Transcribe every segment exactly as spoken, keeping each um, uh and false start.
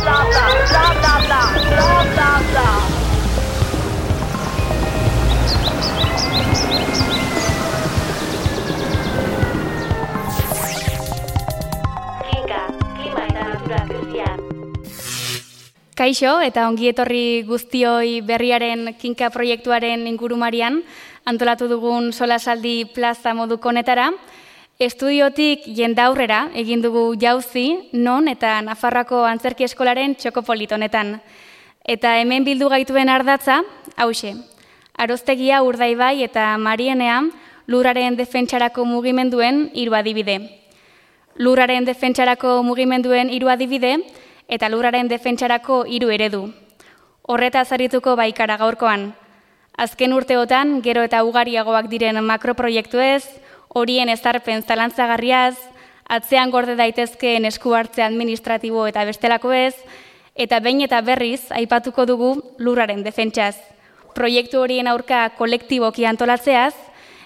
bla, bla, bla, bla, bla, bla, bla, bla. Kaixo eta ongi etorri guztioi berriaren kinka proiektuaren ingurumarian antolatu dugun solasaldi plaza moduko honetara. Estudiotik jendaurrera egin dugu jauzi, non eta Nafarroako Antzerki Eskolaren txokopolit honetan. Eta hemen bildu gaituen ardatza, hauxe, Aroztegia, Urdaibai eta Marienea lurraren defentsarako mugimenduen hiru adibide. Lurraren defentsarako mugimenduen hiru adibide eta lurraren defentsarako hiru eredu. Horretaz arituko baikara gaurkoan. Azken urteotan, gero eta ugariagoak diren makroproiektuez, horien ezarpen zalantzagarriaz, atzean gorde daitezkeen esku hartze administratibo eta bestelakoez, eta behin eta berriz aipatuko dugu lurraren defentsaz. Proiektu horien aurka kolektiboki antolatzeaz,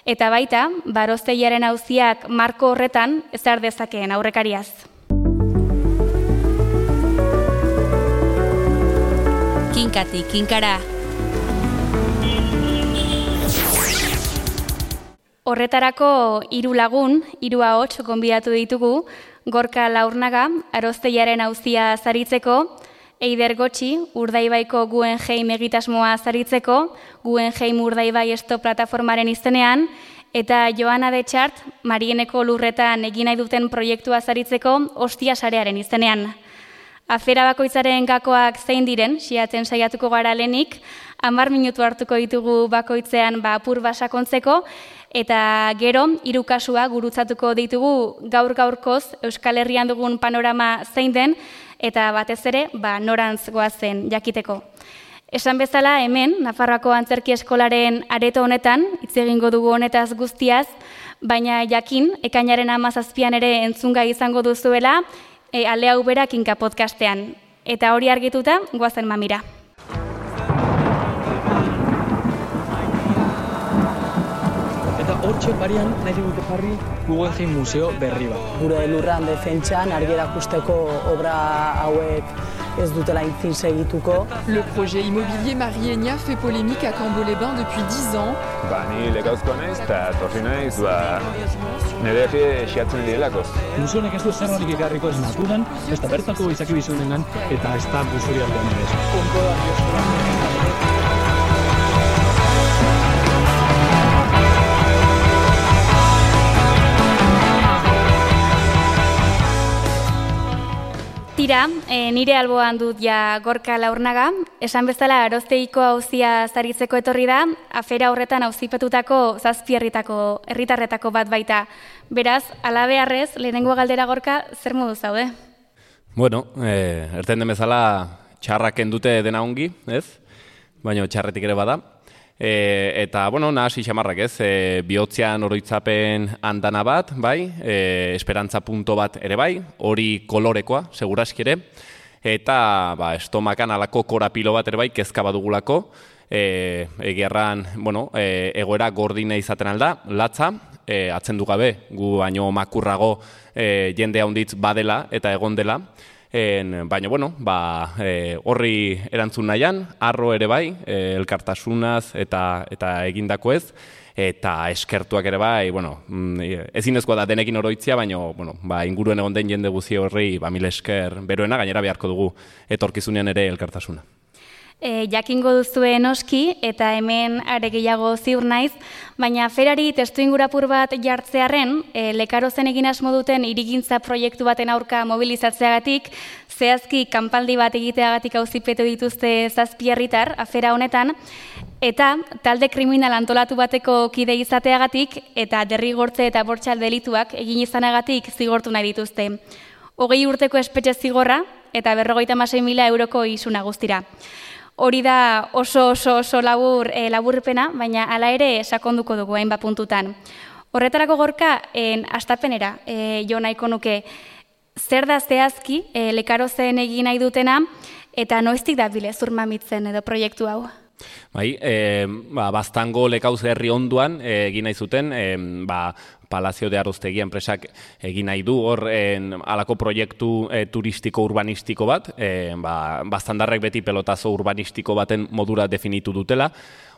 eta baita, Aroztegiaren auziak marko horretan ezar dezakeen aurrekariaz. Kinkatik, kinkara. Horretarako hiru lagun, hiru ahots gonbidatu ditugu, Gorka Laurnaga, Aroztegiaren auzia zaritzeko, Eider Gotxi, Urdaibaiko Guggenheim egitasmoa zaritzeko, Guggenheim Urdaibai Esto plataformaren izenean, eta Joana Detxart, Marieneko lurretan egin nahi duten proiektua zaritzeko Ostia sarearen izenean. Afera bakoitzaren gakoak zein diren, siatzen saiatuko gara lehenik, hamar minutu hartuko ditugu bakoitzean ba, apur basakontzeko, eta gero, hiru kasua gurutzatuko ditugu gaur-gaurkoz Euskal Herrian dugun panorama zein den, eta batez ere, ba, norantz goazen jakiteko. Esan bezala, hemen, Nafarroako Antzerki Eskolaren areto honetan, hitz egingo dugu honetaz guztiaz, baina jakin, ekainaren hamazazpian ere entzungai izango duzuela, E, ale hau bera kinka podcastean. Eta hori argituta, goazen mamira. Eta hortxe barian nahi dugute jarri Guggenheim museo berri bat. Gure lurran defentsan argi erakusteko obra hauek ez dutela intzin segituko. Le projet immobilier Marienia fait polémique à Cambo-les-Bains depuis dix ans. Ba, ni legauzko naiz eta torri naiz, ba, nire egie xiatzen direlako. Museonek ez du zerronik ekarriko ez naturan, ez da bertako izaki bizunengan, eta ez da musori aldean ere. Konko da, Tira, e, nire alboan dut ja Gorka Laurnaga, esan bezala Aroztegiko auzia zaritzeko etorri da, afera horretan auzipetutako zazpi herritako, herritarretako bat baita. Beraz, alabearrez, lehenengo galdera Gorka, zer modu zaude? Bueno, e, erten den bezala txarraken dute dena ongi, ez? Baina txarretik ere bada. E, eta, bueno, nahasi xamarrak ez, e, bihotzean oroitzapen andana bat, bai, e, esperantza punto bat ere bai, hori kolorekoa, seguraski ere, eta ba, estomakan alako korapilo bat ere bai, kezka badugulako, e, egiarran, bueno, e, egoera gordina izaten alda, latza, e, atzen du gabe, gu baino makurrago e, jende handitz badela eta egon dela, En, baina, bueno, ba, e, horri erantzun nahian, arro ere bai, e, elkartasunaz eta, eta egindako ez, eta eskertuak ere bai, bueno, ezinezkoa da denekin oroitzia, baina, bueno, ba, inguruen egon den jende guzi horri, ba, mil esker beroena, gainera beharko dugu etorkizunean ere elkartasuna. E, jakingo duzue noski, eta hemen are gehiago ziur naiz, baina aferari testu ingurapur bat jartzearren, e, Lekarozen egin asmo duten hirigintza proiektu baten aurka mobilizatzeagatik, zehazki kanpaldi bat egiteagatik auzipetu dituzte zazpi herritar afera honetan, eta talde kriminal antolatu bateko kide izateagatik, eta derrigortze eta bortxal delituak egin izanagatik zigortu nahi dituzte. Hogei urteko espetxe zigorra, eta berrogeita hamasei mila euroko isuna guztira. Hori da oso oso oso labur e, laburpena, baina hala ere sakonduko dugu hainbat puntutan. Horretarako Gorka, en astapenera e, jo nahiko nuke, zer da zehazki e, Lekarozen egin nahi dutena, eta noiztik da bile zurmamitzen edo proiektu hau? Bai, e, ba, Baztango Lekauz herri onduan egin nahi zuten, e, ba, Palazio de Aroztegia enpresak egin nahi du hor en, alako proiektu e, turistiko urbanistiko bat, e, ba, bastandarrek beti pelotazo urbanistiko baten modura definitu dutela,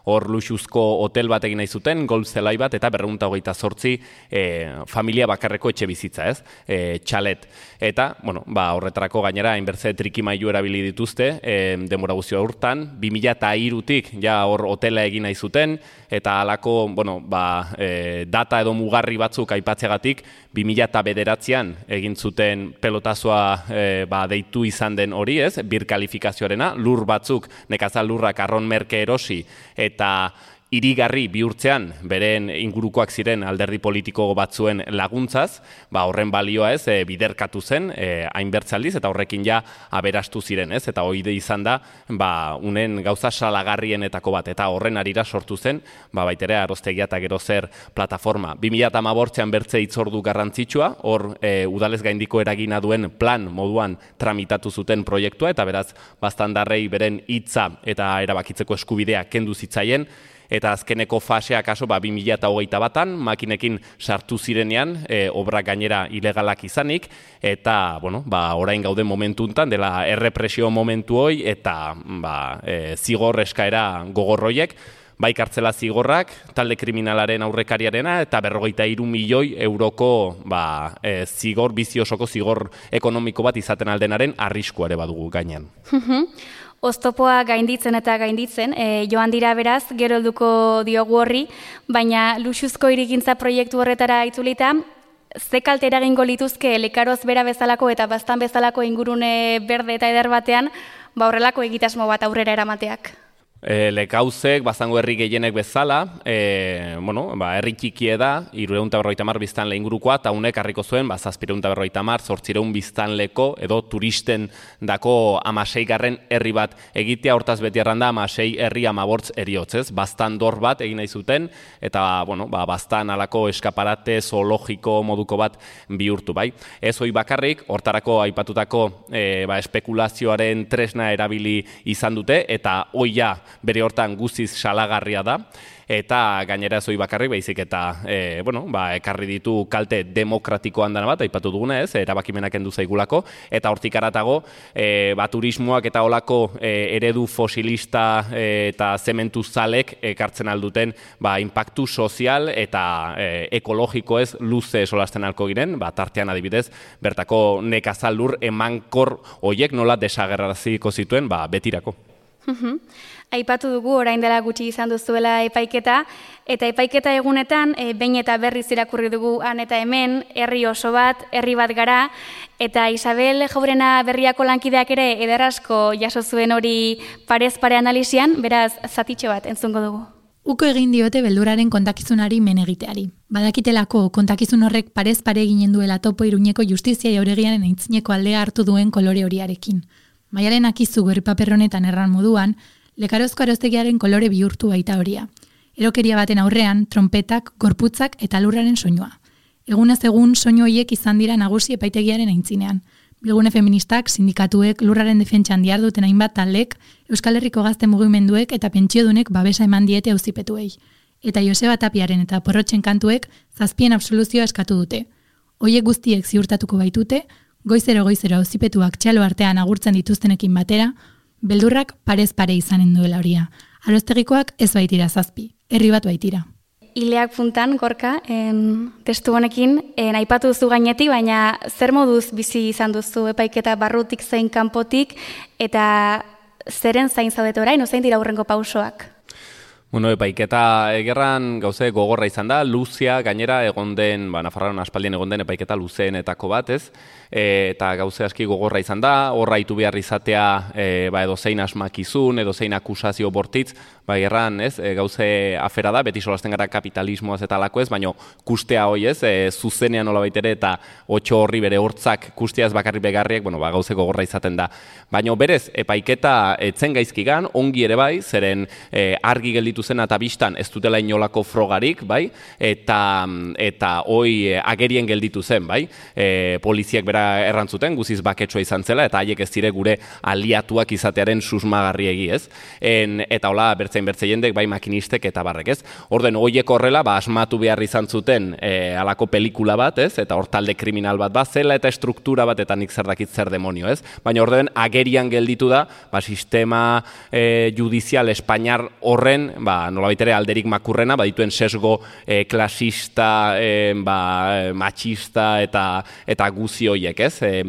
hor luxuzko hotel bat egin nahi zuten, golf zelai bat, eta berrehun eta hogeita zortzi e, familia bakarreko etxe bizitza, ez? E, txalet. Eta, bueno, ba, horretarako gainera, hainbertze trikimailu erabili dituzte, e, denbora guztio urtan, bi mila hirutik ja hor hotela egin nahi zuten, eta halako, bueno, ba, e, data edo mugarri batzuk aipatzeagatik, bi mila bederatzian egin zuten pelotazoa e, ba, deitu izan den hori, ez? Birkalifikazioarena, lur batzuk, nekazal lurrak arron merke erosi, eta irigarri bihurtzean beren ingurukoak ziren alderdi politiko batzuen laguntzaz, ba horren balioa ez, e, biderkatu zen, e, hainbertzaldiz, eta horrekin ja aberastu ziren, ez? Eta hori izan da, ba, unen gauza salagarrienetako bat, eta horren arira sortu zen, ba, baitere Aroztegia eta gero zer plataforma. bi mila hamabostean bertze hitzordu garrantzitsua, hor e, udalez gaindiko eragina duen plan moduan tramitatu zuten proiektua, eta beraz, bastandarrei beren hitza eta erabakitzeko eskubidea kendu zitzaien, eta azkeneko fasea kaso ba, bi mila hogeita batan, makinekin sartu zirenean, e, obrak gainera ilegalak izanik, eta bueno, ba, orain gauden momentuntan, dela errepresio momentu hoi, eta ba, e, zigor eskaera gogorroiek, bai kartzela zigorrak, talde kriminalaren aurrekariarena, eta berrogeita hiru milioi euroko ba, e, zigor, biziosoko zigor ekonomiko bat izaten aldenaren arrisku ere badugu gainean. Oztopoa gainditzen eta gainditzen, e, joan dira beraz, gero helduko diogu horri, baina luxuzko hirigintza proiektu horretara itzulita, ze kalte eragingo lituzke Lekaroz bera bezalako eta Baztan bezalako ingurune berde eta eder batean, ba horrelako egitasmo bat aurrera eramateak? E, Lekauzek, Baztango herri gehienek bezala, e, bueno, ba, herri txikie da, hirurehun eta berrogeita hamar biztanle ingurukoa, eta unek harriko zuen, ba, zazpiehun eta berrogeita hamar, zortziehun biztanleko, edo turisten dako hamaseigarren herri bat egitea, hortaz beti erranda hamasei herri hamabortz eriotzez, Baztan dor bat egin nahi zuten, eta, bueno, ba, Baztan alako eskaparate zoologiko moduko bat bihurtu, bai. Ez hoi bakarrik, hortarako aipatutako e, ba, espekulazioaren tresna erabili izan dute, eta hoia bere hortan guztiz salagarria da, eta gainera zoi bakarrik baizik eta e, bueno, ba, ekarri ditu kalte demokratiko handana bat, aipatu duguna ez, erabakimenak kendu zaigulako, eta hortik aratago, e, ba, turismoak eta olako e, eredu fosilista e, eta zementu zalek ekartzen alduten ba, impactu sozial eta e, ekologiko ez luze solasten alko giren, ba, tartean adibidez, bertako nekazal lur emankor hoiek nola desagerraziko zituen ba, betirako. Aipatu dugu orain dela gutxi izan duzuela epaiketa, eta epaiketa egunetan e, behin eta berriz irakurri dugu han eta hemen, herri oso bat, herri bat gara, eta Isabel Jaurena Berriako lankideak ere ederrasko jaso zuen hori parez pare analizian, beraz zatitxo bat entzungo dugu. Uko egin diote beldurraren kontakizunari men egiteari. Badakitelako kontakizun horrek parez pare eginen duela topo Iruñeko justizia jauregiaren aintzineko aldea hartu duen kolore horiarekin. Maialen akizu gori paper honetan erran moduan, Lekarozko Aroztegiaren kolore bihurtu baita horia. Erokeria baten aurrean, trompetak, gorputzak eta lurraren soinua. Egunez egun soinu horiek izan dira nagusi epaitegiaren aintzinean. Bilgune feministak, sindikatuek, lurraren defentsan diharduten hainbat taldek, Euskal Herriko gazte mugimenduek eta pentsiodunek babesa eman diete auzipetuei. Eta Joseba Tapiaren eta Porrotxen kantuek zazpien absoluzioa eskatu dute. Hoiek guztiek ziurtatuko baitute, goizero goizero auzipetuak txalo artean agurtzen dituztenekin batera, beldurrak parez pare izanen duela horia. Aroztegikoak ez baitira zazpi, herri bat baitira. Ileak puntan, Gorka, en, testu honekin, en, aipatu duzu gainetik, baina zer moduz bizi izan duzu epaiketa barrutik zein kanpotik, eta zeren zain zaudete orain, ozein dira hurrengo pausoak? Bueno, epaiketa egerran gauze gogorra izan da, luzia gainera egon den, ba, Nafarroan aspaldien egon den epaiketa luzeenetako bat, ez? E, eta gauze aski gogorra izan da, horra itu behar izatea e, ba, edo zein asmakizun, edo zein akusazio bortitz, ba, gerran, ez? E, gauze afera da, beti solasten gara kapitalismoaz eta alako ez, baina kustea hoi ez, e, zuzenean nola baitere eta otxo horri bere hortzak kusteaz bakarri begarriak, bueno, ba, gauze gogorra izaten da. Baina berez, epaiketa etzen gaizkigan, ongi ere bai, zeren e, argi gelditu zen eta bistan ez dutela inolako frogarik, bai, eta eta hoi agerien gelditu zen, bai, e, poliziak berak gara errantzuten, guziz baketsua izan zela, eta haiek ez dire gure aliatuak izatearen susmagarriegi, ez? En, eta hola, bertzein bertze jendek, bai makinistek eta barrek, ez? Orden, horiek horrela, ba, asmatu behar izan zuten e, alako pelikula bat, ez? Eta hor talde kriminal bat bat zela, eta struktura bat, eta nik zer dakit zer demonio, ez? Baina orden, agerian gelditu da, ba, sistema e, judizial espainiar horren, ba, nolabait ere alderik makurrena, ba, dituen sesgo e, klasista, e, ba, machista eta eta guzi hoiek, ez? E,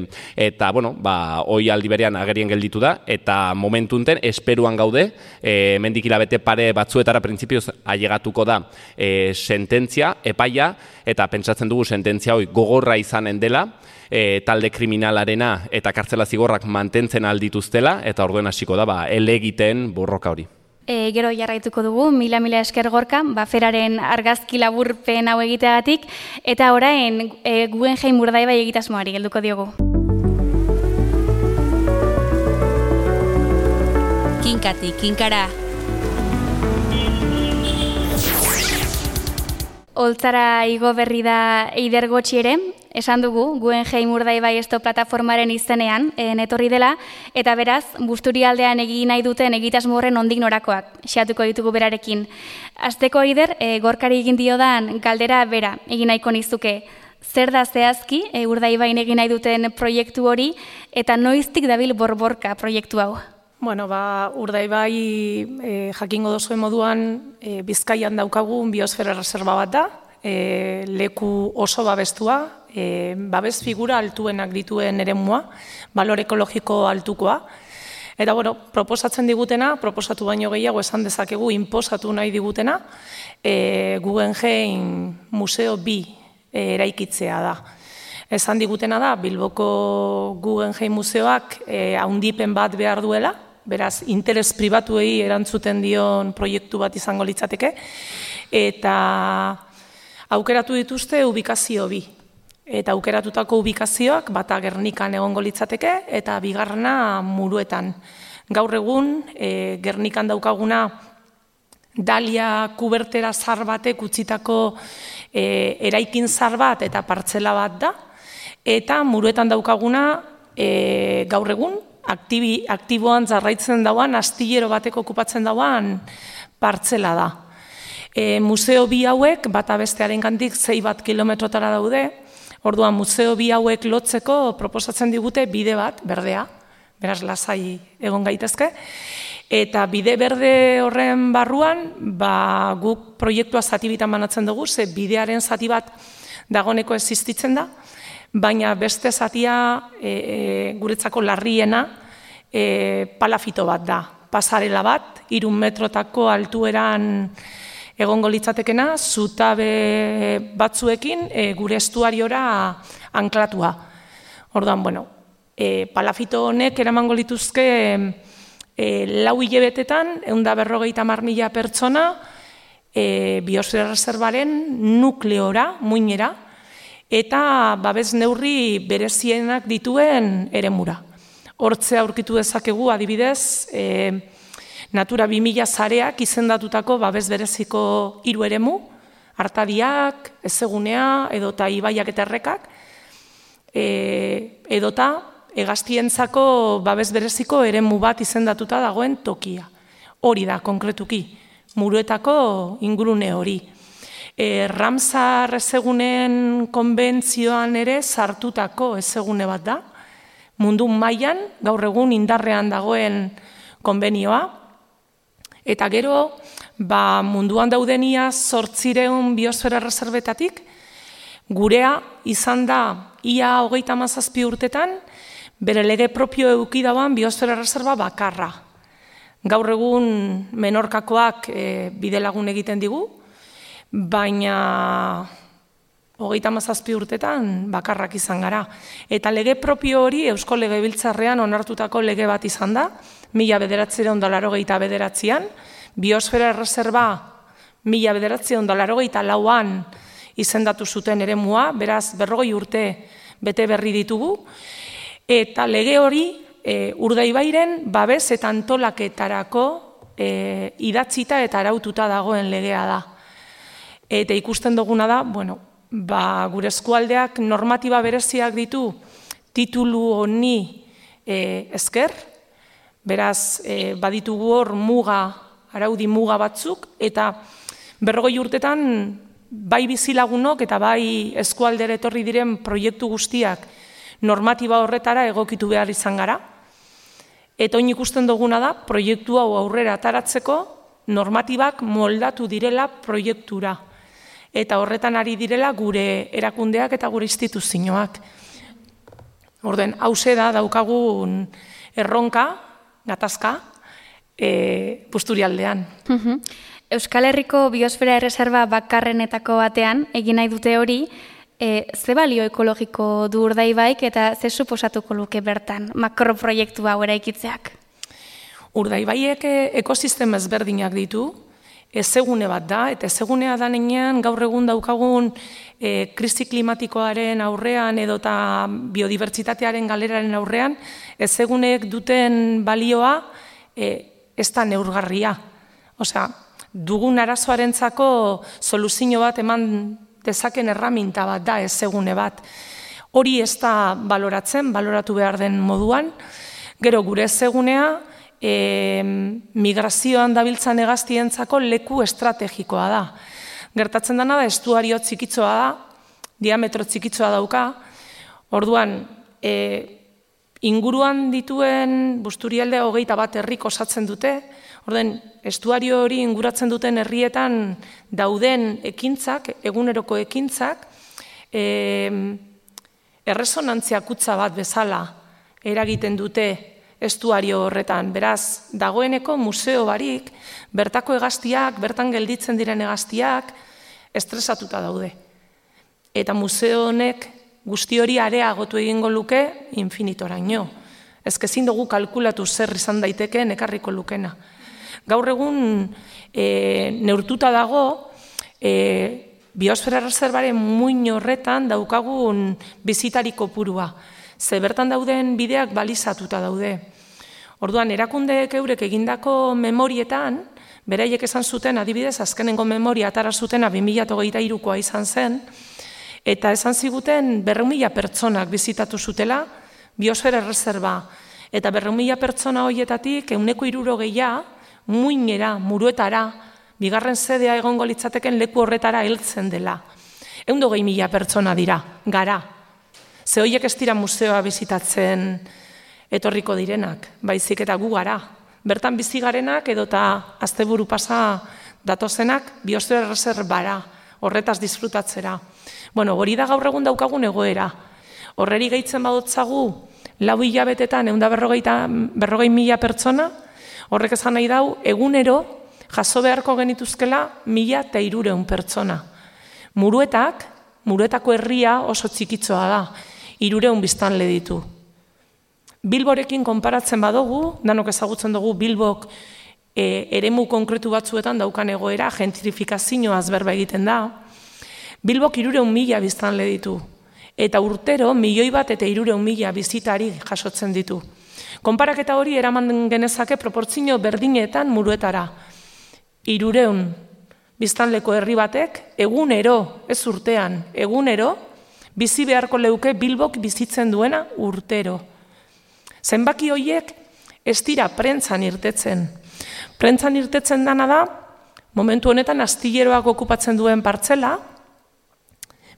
eta, bueno, ba, hoi aldi berean agerien gelditu da, eta momentunten esperuan gaude, e, mendik hilabete pare batzuetara printzipioz ailegatuko da e, sententzia, epaia, eta pentsatzen dugu sententzia hoi gogorra izanen dela, e, talde kriminalarena eta kartzela zigorrak mantentzen aldituztela, eta orduen hasiko da, ba, elegiten borroka hori. E, gero jarraituko dugu, mila-mila esker Gorka, baferaren argazki laburpen hau egiteagatik, eta orain e, Guggenheim Urdaibai egitasmoari gelduko diogu. Kinkati, kinkara. Holtzara igo berri da Eider Gotxi ere, esan dugu, Guggenheim Urdaibai esto plataformaren izenean etorri dela, eta beraz, Busturialdean egin nahi duten egitasmo horren ondik norakoak, xeatuko ditugu berarekin. Azteko Eider, e, Gorkari egin diodan galdera bera, egin nahiko nizuke. Zer da zehazki, e, Urdaibain egin nahi duten proiektu hori, eta noiztik dabil borborka proiektu hau? Bueno, ba, Urdaibai e, jakingo dozuen moduan e, Bizkaian daukagun biosfera reserva bat da, e, leku oso babestua, e, babes figura altuenak dituen eremua, balor ekologiko altukoa. Eta, bueno, proposatzen digutena, proposatu baino gehiago esan dezakegu, inposatu nahi digutena, e, Guggenheim Museo bi e, eraikitzea da. Esan digutena da, Bilboko Guggenheim Museoak e, haundipen bat behar duela, beraz, interes pribatuei erantzuten dion proiektu bat izango litzateke, eta aukeratu dituzte ubikazio bi. Eta aukeratutako ubikazioak bata Gernikan egongo litzateke, eta bigarrena Muruetan. Gaur egun, e, Gernikan daukaguna Dalia kubertera zar batek utzitako e, eraikin zar bat eta partzela bat da, eta Muruetan daukaguna e, gaur egun, aktibi, aktiboan jarraitzen dauan, astillero bateko okupatzen dauan partzela da. E, museo bi hauek, bata bestearen gandik zei bat kilometrotara daude, orduan museo bi hauek lotzeko proposatzen digute bide bat, berdea, beraz lasai egon gaitezke, eta bide berde horren barruan, ba, guk proiektua zati bitan banatzen dugu, ze bidearen zati bat dagoneko existitzen da, baina beste zatia e, e, guretzako larriena e, palafito bat da. Pasarela bat, irun metrotako altueran egongo litzatekena, zutabe batzuekin e, gure estuariora anklatua. Orduan, bueno, e, palafito honek eramango lituzke e, lau hilebetetan, ehun eta berrogeita hamar mila pertsona e, biosfera reservaren nukleora, muinera, eta babes neurri berezienak dituen eremura. Hortze aurkitu dezakegu adibidez, e, Natura bi mila zareak izendatutako babes bereziko hiru eremu, Artadiak, Ezegunea, edota Ibaiak eta Errekak, e, edota hegaztientzako babes bereziko eremu bat izendatuta dagoen tokia. Hori da, konkretuki, Muruetako ingurune hori. E, Ramsar ezegunen konbentzioan ere sartutako ezegune bat da, mundu mailan gaur egun indarrean dagoen konbenioa, eta gero ba, munduan daudenia zortzireun biosfera reserbetatik, gurea izan da ia hogeita hamazazpi urtetan, bere lege propio eduki dauan biosfera reserva bakarra. Gaur egun Menorkakoak e, bidelagun egiten digu, baina hogeita hamazazpi urtetan bakarrak izan gara. Eta lege propio hori Eusko Legebiltzarrean onartutako lege bat izan da, mila bederatziehun eta laurogeita bederatzian, biosfera reserva mila bederatziehun eta laurogeita lauan izendatu zuten eremua, beraz berrogei urte bete berri ditugu, eta lege hori e, Urdaibairen babes eta antolaketarako e, idatzita eta araututa dagoen legea da. Eta ikusten duguna da, bueno, ba, gure eskualdeak normatiba bereziak ditu titulu honi e, esker, beraz e, baditugu hor muga, araudi muga batzuk, eta berrogei urtetan bai bizilagunok eta bai eskualdera etorri diren proiektu guztiak normatiba horretara egokitu behar izan gara. Eta oin ikusten duguna da, proiektu hau aurrera ataratzeko normatibak moldatu direla proiektura. Eta horretan ari direla gure erakundeak eta gure instituzioak. Orden, hause da daukagun erronka, gatazka, e, Busturialdean. Euskal Herriko Biosfera Erreserba bakarrenetako batean, egin nahi dute hori, e, ze balio ekologiko du Urdaibaik eta ze suposatuko luke bertan makroproiektu hau eraikitzeak? Urdaibaiek ekosistema ezberdinak ditu, ezegune bat da, eta ezegunea da nenean gaur egun daukagun e, krisi klimatikoaren aurrean edota biodibertsitatearen galeraren aurrean, ezeguneek duten balioa e, ez da neurgarria. Osea, dugun arazoarentzako soluzio bat eman dezaken erraminta bat da ezegune bat. Hori ez da baloratzen, baloratu behar den moduan. Gero gure ezegunea, E, migrazioan dabiltzan hegaztientzako leku estrategikoa da. Gertatzen dena da, estuario txikitzoa da, diametro txikitzoa dauka, orduan, e, inguruan dituen Busturialde hogeita bat herrik osatzen dute, orduan, estuario hori inguratzen duten herrietan dauden ekintzak, eguneroko ekintzak, e, erresonantzia kutsa bat bezala eragiten dute estuario horretan. Beraz, dagoeneko museo barik, bertako hegaztiak, bertan gelditzen diren hegaztiak, estresatuta daude. Eta museo honek guzti hori areagotu egingo luke infinitoraino. Ez ezin dugu kalkulatu zer izan daitekeen ekarriko lukena. Gaur egun e, neurtuta dago, e, Biosfera Erreserbaren muin horretan daukagun bizitari kopurua. Ze bertan dauden bideak balizatuta daude. Orduan, erakundeek eurek egindako memorietan, beraiek esan zuten, adibidez, azkenengo memoria atara zutena bi mila hogeita hirukoa izan zen, eta esan ziguten berrehun mila pertsonak bizitatu zutela Biosfera Erreserba. Eta berrehun mila pertsona horietatik ehuneko hirurogeia muinera, Muruetara, bigarren sedea egongo litzateken leku horretara heltzen dela. ehun eta hogei mila pertsona dira, gara. Ze horiek ez dira museoa bizitatzen etorriko direnak, baizik eta gu gara. Bertan bizi garenak edota asteburu pasa datozenak Biosfera Erreserbara, horretaz disfrutatzera. Bueno, hori da gaur egun daukagun egoera. Horreri gehitzen badotzagu lau hilabetetan ehun eta berrogei mila pertsona, horrek esan nahi dau egunero jaso beharko genituzkela mila eta hirurehun pertsona. Muruetak, Muruetako herria oso txikitzoa da. Hirurehun biztanle ditu. Bilborekin konparatzen badugu, danok ezagutzen dugu Bilbok e, eremu konkretu batzuetan daukan egoera, gentrifikazioaz berba egiten da. Bilbok hirurehun mila biztanle ditu. Eta urtero milioi bat eta hirurehun mila bizitari jasotzen ditu. Konparaketa hori eraman genezake proportzio berdinetan Muruetara. Hirurehun biztanleko herri batek, egunero, ez urtean, egunero, bizi beharko leuke Bilbok bizitzen duena urtero. Zenbaki horiek ez dira prentzan irtetzen. Prentzan irtetzen dana da, momentu honetan astilleroak okupatzen duen partzela,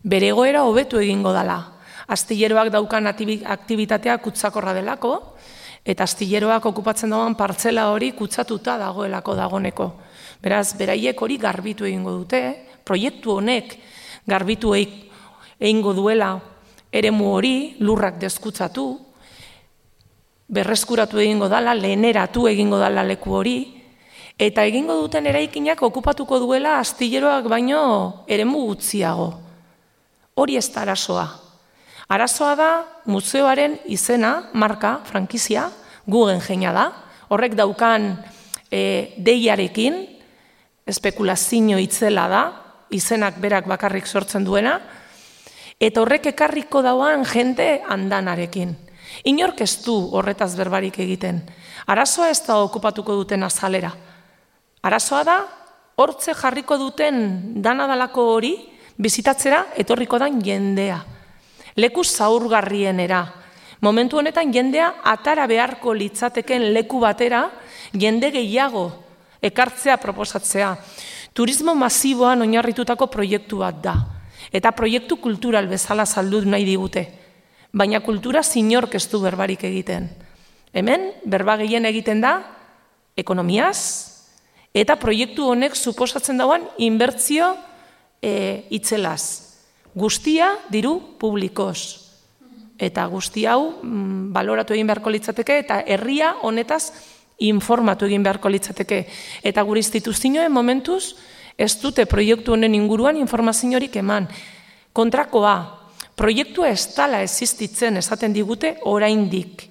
bere egoera hobetu egingo dela. Astilleroak daukan aktibitatea kutsakorra delako, eta astilleroak okupatzen duen partzela hori kutsatuta dagoelako dagoneko. Beraz, beraiek hori garbitu egingo dute, proiektu honek garbitu egingo duela eremu hori, lurrak deskutsatu, berreskuratu egingo dala, leheneratu egingo dala leku hori, eta egingo duten eraikinak okupatuko duela astilleroak baino eremu gutxiago. Hori ez da arazoa. Arazoa da museoaren izena, marka, frankizia, Guggenheima da, horrek daukan e, deiarekin, espekulazio itzela da, izenak berak bakarrik sortzen duena, eta horrek ekarriko dauan jende andanarekin. Inork ez du horretaz berbarik egiten. Arazoa ez da okupatuko duten azalera. Arazoa da, hortze jarriko duten danadalako hori, bizitatzera etorriko dan jendea. Leku zaurgarrienera. Momentu honetan jendea atara beharko litzateken leku batera, jende gehiago ekartzea proposatzea. Turismo masiboan oinarritutako proiektu bat da. Eta proiektu kultural bezala saldu nahi digute. Baina kultura zinork ez du berbarik egiten. Hemen, berba gehien egiten da, ekonomiaz, eta proiektu honek suposatzen dauan inbertzio e, itzelaz. Guztia diru publikoz. Eta guzti hau mm, baloratu egin beharko litzateke eta herria honetaz informatu egin beharko litzateke. Eta gure instituzioen momentuz ez dute proiektu honen inguruan informaziorik eman. Kontrakoa, proiektua ez dela existitzen esaten digute oraindik.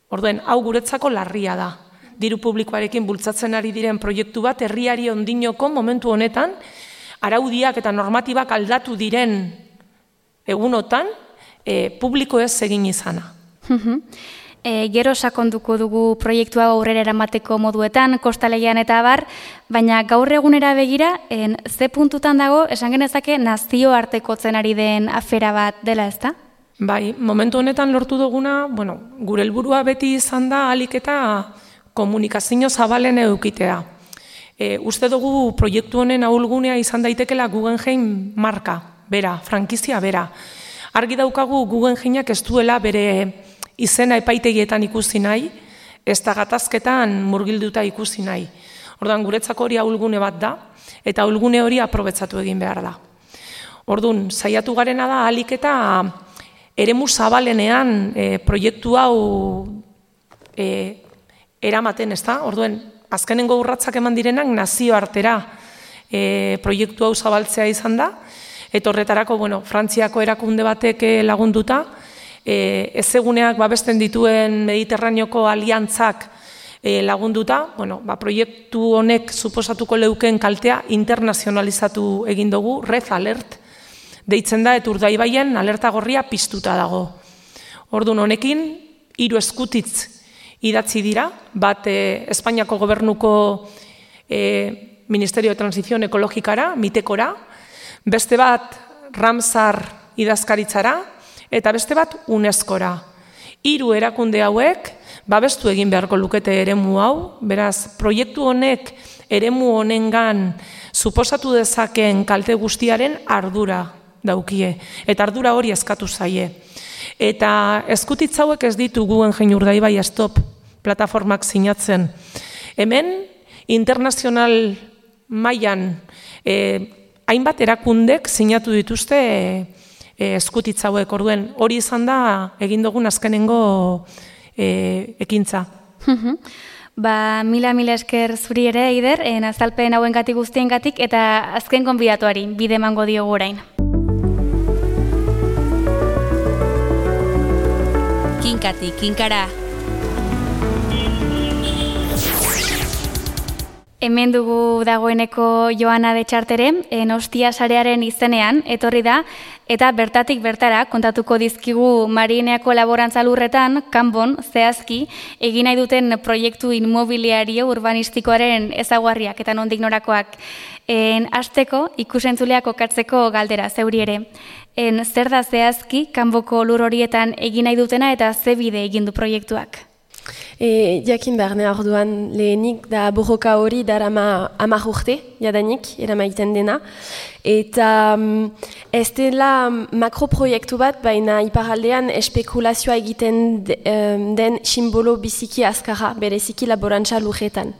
Orduen, hau guretzako larria da. Diru publikoarekin bultzatzen ari diren proiektu bat herriari ondinoko momentu honetan, araudiak eta normatibak aldatu diren egunotan, e, publiko ez egin izana. E, gero sakonduko dugu proiektua aurrera eramateko moduetan, kostalegian eta abar, baina gaur egunera begira, en, ze puntutan dago, esan genezake nazioartekotzen ari den afera bat dela, ezta? Bai, momentu honetan lortu duguna, bueno, gure helburua beti izan da ahalik eta komunikazio zabalen edukitea. E, uste dugu proiektu honen ahulgunea izan daitekela Guggenheim marka, bera, frankizia bera. Argi daukagu Guggenheimak ez duela bere izena epaitegietan ikusi nahi, ez da gatazketan murgilduta ikusi nahi. Orduan, guretzako hori ahulgune bat da, eta ahulgune hori aprobetzatu egin behar da. Orduan, saiatu garena da ahalik eta eremu zabalenean e, proiektu hau e, eramaten, ez da? Orduan, azkenengo urratsak eman direnak nazioartera e, proiektu hau zabaltzea izan da, eta horretarako, bueno, Frantziako erakunde batek lagunduta, e, ezeguneak babesten dituen Mediterraneoko aliantzak e, lagunduta, bueno, ba, proiektu honek suposatuko leuken kaltea internazionalizatu egin dugu, Red Alert, deitzen da, eta Urdaibaien alerta gorria piztuta dago. Orduan honekin, hiru eskutitz idatzi dira, bat e, Espainiako gobernuko e, Ministerio de Transición Ekologikara, mitekora, beste bat Ramsar idazkaritzara, eta beste bat UNESCOra. Hiru erakunde hauek, babestu egin beharko lukete eremu hau, beraz, proiektu honek eremu honengan suposatu dezakeen kalte guztiaren ardura daukie, eta ardura hori eskatu zaie. Eta eskutitz hauek ez ditu Guggenheim Urdaibai Stop plataformak sinatzen. Hemen, internazional mailan e, hainbat erakundek sinatu dituzte e, eskutitz hauek, orduen hori izan da egin dugun azkenengo e, ekintza. Ba, mila mila esker zuri ere, Eider, en azalpen hauengatik guztiengatik eta azken gonbidatuari bide emango diogu orain. Kinkati, kinkara. Hemen dugu dagoeneko Joana de Txartere, Ostia sarearen izenean, etorri da, eta bertatik bertara kontatuko dizkigu Marineako laborantza lurretan, kanbon, zehazki, egin nahi duten proiektu inmobiliario urbanistikoaren ezaguarriak eta nondik norakoak. En hasteko ikusentzuleak kokatzeko galdera zeuri ere. En zer da zehazki kanboko lur horietan egin nahi dutena eta ze bide egin du proiektuak? E, jakin behar ne orduan lehenik da borroka hori darama hamar urte, jadanik, eramaiten dena. Eta um, ez dela makroproiektu bat, baina iparaldean espekulazioa egiten de, um, den simbolo biziki azkarra, bereziki laborantza lurretan.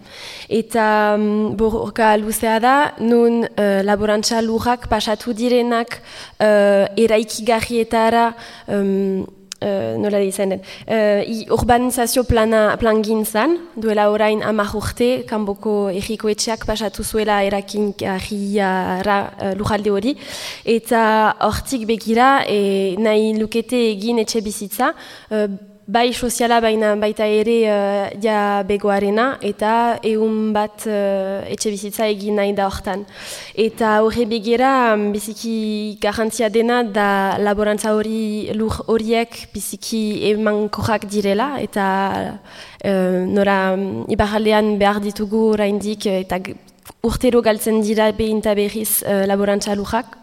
Eta um, borroka luzea da, nun uh, laborantza lurrak pasatu direnak uh, eraikigarrietara um, Uh, nola dizan den, uh, urbanizazio plana plangintzan, duela orain hamar urte, kanboko erriko etxeak pasatu zuela erakingarriara uh, lujalde hori, eta hortik begira e, nahi lukete egin etxe bizitza, uh, bai soziala baina baita ere uh, ja begoarena, eta ehun bat uh, etxe bizitza egin nahi da hortan. Eta horre begira, biziki garrantzia dena da laborantza hori lur horiek biziki emankorrak direla, eta uh, nora ibarraldean behar ditugu oraindik, eta urtero galtzen dira behin eta berriz uh, laborantza lurrak,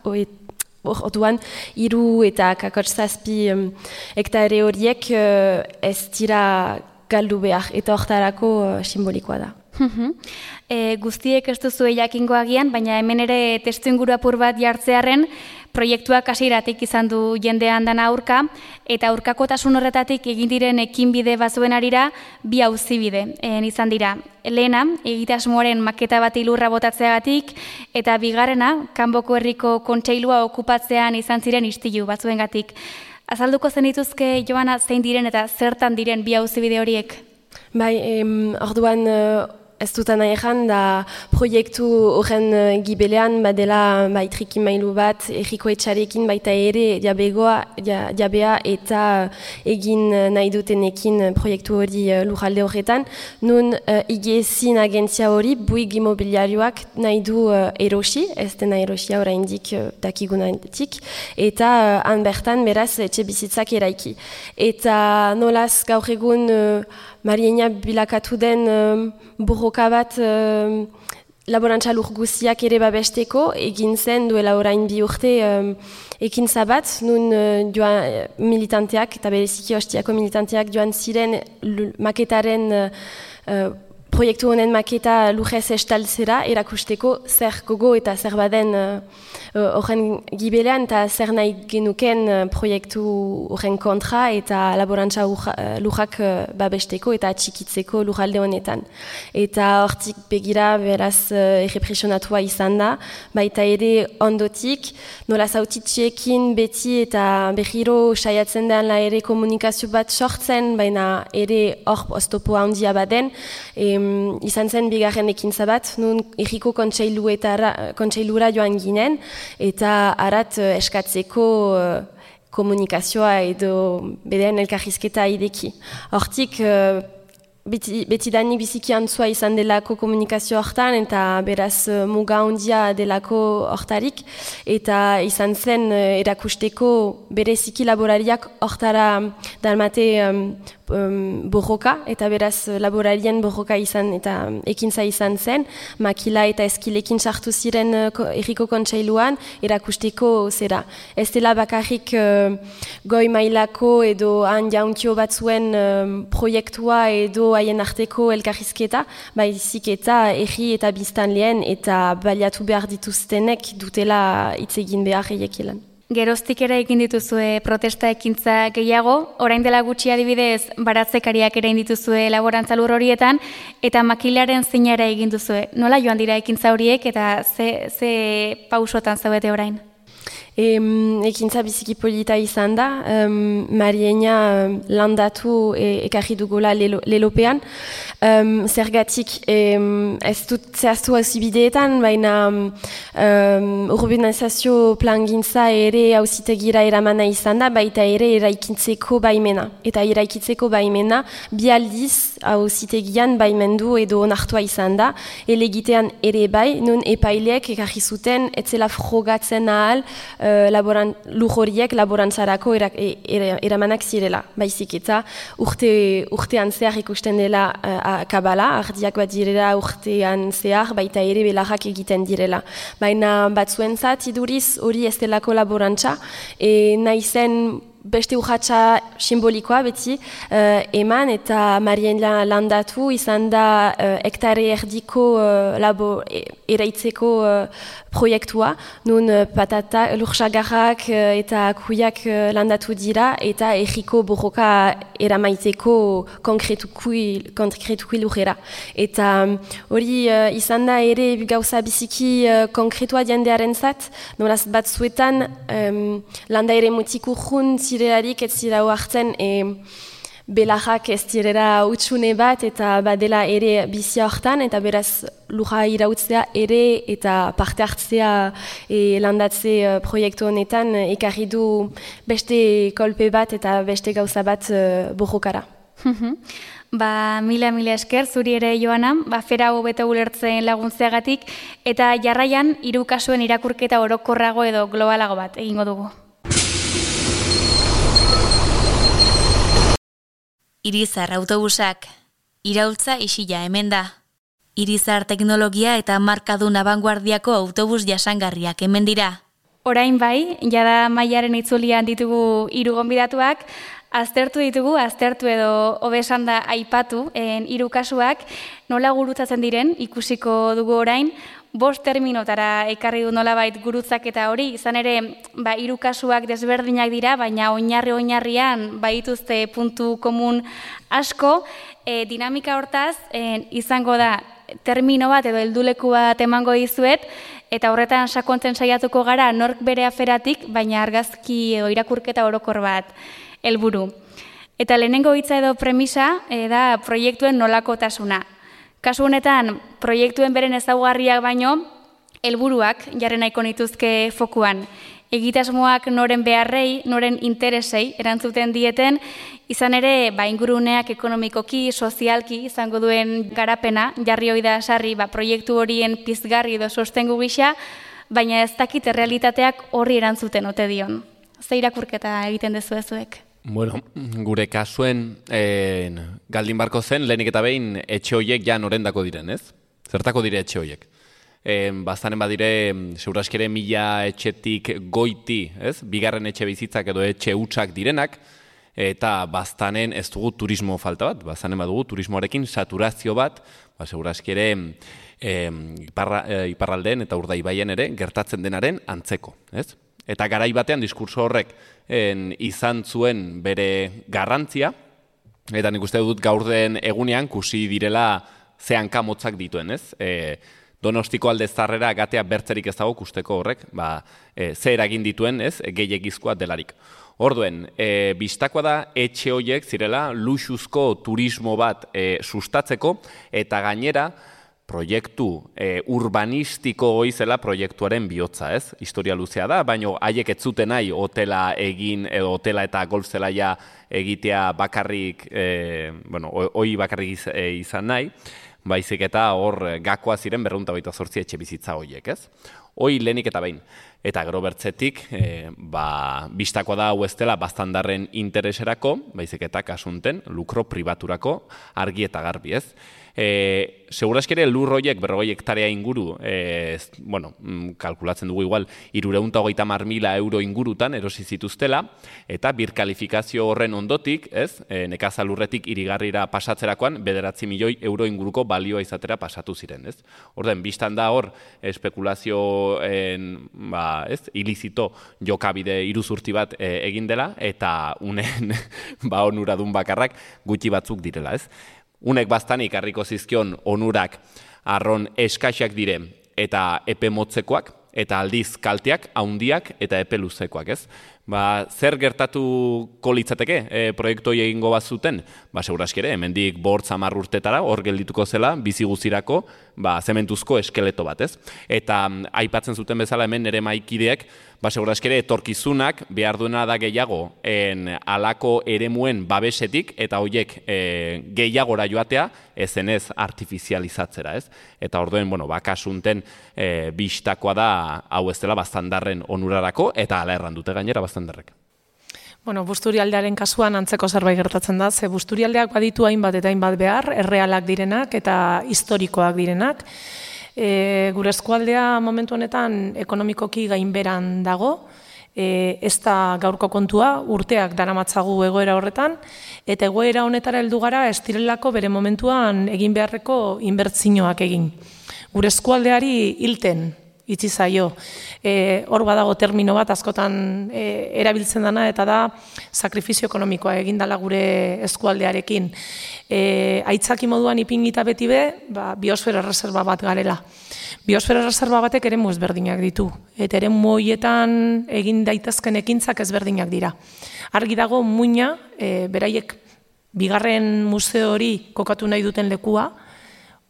Orduan, hiru eta kakotx zazpi um, hektare horiek uh, ez dira galdu behar, eta hortarako uh, simbolikoa da. e, guztiek ez duzu jakingo agian, baina hemen ere testu inguru apur bat jartzearen, proiektuak hasieratik izan du jendean dana aurka, eta aurkakotasun horretatik egin diren ekinbide bazuen arira, bi auzibide en izan dira. Lehena, egitasmoaren maketa bat ilurra botatzeagatik, eta bigarrena, Kanboko Herriko Kontseilua okupatzean izan ziren istilu batzuengatik. Azalduko zenituzke, Joana, zein diren eta zertan diren bi auzibide horiek? Bai, em, orduan uh, ez dutan nahi da proiektu horren uh, gibelean badela bai trikimailu bat erriko etxarekin baita ere diabegoa, dia, diabea eta uh, egin uh, nahi dutenekin proiektu hori uh, lurralde horretan. Nun uh, igezin agentzia hori buig imobiliarioak nahi du uh, erosi, ez dena erosia oraindik uh, dakigunatik, eta uh, han bertan beraz etxe bizitzak eraiki. Eta nolaz gaur egun uh, Mariena bilakatu den um, borroka bat um, laborantza lur guziak ere babesteko, egin zen duela orain bi urte um, ekintza bat, nun uh, joan militanteak eta bereziki hostiako militanteak joan ziren maketaren uh, uh, proiektu honen maketa lujez estaltzera erakusteko zer gogo eta zer baden horren uh, gibelean eta zer nahi genuken uh, proiektu horren kontra eta laborantza lujak uh, babesteko eta atxikitzeko lujalde honetan. Eta hortik begira beraz uh, errepresionatua izan da, baita ere ondotik, nola zautitxeekin beti eta berriro saiatzen den la ere komunikazio bat sortzen, baina ere hor oztopo handia baden, e, izan zen bigarren ekintza bat, nun erriko kontseilura joan ginen, eta arat uh, eskatzeko uh, komunikazioa edo bedeen elkarrizketa ideki. Hortik, uh, beti, beti dani biziki antzua izan delako komunikazio hortan, eta beraz uh, muga handia delako hortarik, eta izan zen uh, erakusteko bereziki laborariak hortara dalmate um, Um, borroka, eta beraz laborarien borroka izan eta ekintza izan zen, makila eta eskilekin sartu ziren uh, erriko kontseiluan erakusteko zera. Ez dela bakarrik uh, goi mailako edo han jauntio batzuen um, proiektua edo haien arteko elkarrizketa, baizik eta erri eta biztanleen eta baliatu behar dituztenek dutela hitz egin behar eiekilan. Geroztik ere egin dituzue protesta ekintza gehiago, orain dela gutxi adibidez baratzekariak ere egin dituzue laborantza lur horietan, eta makilaren zinara egin duzue. Nola joan dira ekintza horiek eta ze, ze pausotan zaudete orain? E, ekintza biziki polita izan da, um, Mariena um, landatu e, ekarri dugula lelo, lelopean. Um, zergatik um, ez dut zehaztu hauzibideetan, baina um, urbanizazio plangintza ere hauzitegira eramana izan da, baita ere eraikitzeko baimena. Eta eraikitzeko baimena bi aldiz hauzitegian baimendu edo onartua izan da, elegitean ere bai, nun epaileek ekarri zuten etzela frogatzen ahal Uh, laboran, lujoriek laborantzarako era, era, eramanak zirela. Baizik eta urte, urtean zehar ikusten dela uh, kabala, ardiak bat direla urtean zehar, baita ere belarrak egiten direla. Baina batzuentzat iduriz hori ez delako laborantza, e, nahi zen beste urratxa simbolikoa beti uh, eman eta Mariena landatu izan da uh, hektare erdiko uh, labo e, eraitzeko uh, proiektua, nun uh, patata, lursagarrak uh, eta kuiak uh, landatu dira eta erriko borroka eramaiteko konkretukui, konkretukui lurrera. Eta hori um, uh, izan da ere gauza biziki uh, konkretua jendearen zat, nolaz batzuetan um, landa ere mutik urrun zirelarik ez zira hartzen e, belarrak ez direra utxune bat eta badela ere bizia hortan eta beraz lura irautzea ere eta parte hartzea e, landatze uh, proiektu honetan uh, ekarri du beste kolpe bat eta beste gauza bat uh, borrokara. Ba, mila, mila esker, zuri ere Joana, ba, fera hobeto ulertzen laguntzeagatik, eta jarraian hiru kasuen irakurketa orokorrago edo globalago bat egingo dugu. Irizar autobusak, iraultza isila hemen da. Irizar teknologia eta markadun abanguardiako autobus jasangarriak hemen dira. Orain bai, jada Maiaren itzulian ditugu hiru gonbidatuak, aztertu ditugu, aztertu edo hobesan da aipatu, en hiru kasuak nola gurutzatzen diren ikusiko dugu orain, bost terminotara ekarri du nolabait gurutzaketa hori, izan ere, ba, hiru kasuak desberdinak dira, baina oinarri-oinarrian baituzte puntu komun asko, e, dinamika hortaz, en, izango da termino bat edo helduleku bat emango dizuet, eta horretan sakontzen saiatuko gara nork bere aferatik, baina argazki edo irakurketa orokor bat helburu. Eta lehenengo hitza edo premisa e, da proiektuen nolakotasuna. Kasu honetan, proiektuen beren ezaugarriak baino, helburuak jarri nahiko nituzke fokuan. Egitasmoak noren beharrei, noren interesei erantzuten dieten, izan ere, ba, inguruneak ekonomikoki, sozialki izango duen garapena, jarri hoi da sarri ba, proiektu horien pizgarri edo sostengu gisa, baina ez dakit errealitateak horri erantzuten ote dion. Ze irakurketa egiten dezu ezuek? Bueno, gure kasuen eh, galdin barko zen, lehenik eta behin etxe horiek ja norendako diren, ez? Zertako dire etxe horiek? E, Bastanen badire, seguraskere mila etxetik goiti, ez? Bigarren etxe bizitzak edo etxe hutsak direnak, eta bastanen ez dugu turismo falta bat, bastanen badugu turismoarekin saturazio bat, ba, seguraskere e, iparra, e, iparraldeen eta urdaibaien ere gertatzen denaren antzeko, ez? Eta garai batean diskurso horrek en, izan zuen bere garrantzia, eta nik uste dut gaur den egunean kusi direla ze hanka motzak dituen, ez? E, Donostiko alde zarrera gatea bertzerik ez dago kusteko horrek, ba, e, ze eragin dituen, ez? Gehiegizkoa delarik. Orduen, e, bistakoa da etxe horiek zirela luxuzko turismo bat e, sustatzeko, eta gainera, proiektu e, urbanistiko hoizela proiektuaren bihotza, ez? Historia luzea da, baina haiek ez zuten nahi hotela egin, edo hotela eta golf zelaia egitea bakarrik, e, bueno, hoi bakarrik izan nahi, baizik eta hor gakoa ziren berrehun eta hogeita zortzi etxe bizitza horiek, ez? Hoi lehenik eta behin. Eta gero bertzetik, e, ba, bistakoa da hau ez dela bastandarren intereserako, baizik eta kasunten, lukro pribaturako argi eta garbi, ez? E, Seguraskere lur horiek berrogei hektarea inguru, e, bueno, kalkulatzen dugu igual, hirurehun eta hogeita hamar mila euro ingurutan erosi zituztela, eta birkalifikazio horren ondotik, ez, e, nekazalurretik irigarrira pasatzerakoan, bederatzi milioi euro inguruko balioa izatera pasatu ziren, ez? Orden, biztan da hor, espekulazioen, ba, ez, ilizito jokabide iruzurti bat e, egin dela, eta unen, ba, onuradun bakarrak gutxi batzuk direla, ez? Unek bastanik harriko zizkion onurak arron eskaxak dire eta epe motzekoak, eta aldiz kalteak, haundiak eta epe luzekoak, ez? Ba, zer gertatuko litzateke e, proiektu egingo bat zuten? Ba, seguraskere, hemendik bortz hamar urtetara, hor geldituko zela, bizi guztirako, ba, zementuzko eskeleto bat, ez? Eta aipatzen zuten bezala hemen nire maikideek, ba, seguraskere, etorkizunak behar duena da gehiago en alako eremuen babesetik, eta horiek e, gehiagora joatea, ezenez artifizializatzera, ez? Eta orduen, bueno, bakasunten e, bistakoa da, hau ez dela, bastandarren onurarako, eta ala erran dute gainera bastandarrek. Bueno, Busturialdearen kasuan antzeko zerbait gertatzen da, ze Busturialdeak baditu hainbat eta hainbat behar, errealak direnak eta historikoak direnak. E, gure eskualdea momentu honetan ekonomikoki gainberan dago, e, ez da gaurko kontua, urteak daramatzagu egoera horretan, eta egoera honetara heldu gara ez direlako bere momentuan egin beharreko inbertsioak egin. Gure eskualdeari hilten itzi zaio. E, hor badago termino bat askotan e, erabiltzen dana, eta da sakrifizio ekonomikoa egin dela gure eskualdearekin. E, aitzaki moduan ipingita beti be, ba, biosfera reserva bat garela. Biosfera reserva batek eremu ezberdinak ditu, eta eremu horietan egin daitezken ekintzak ezberdinak dira. Argi dago muina, e, beraiek bigarren museo hori kokatu nahi duten lekua,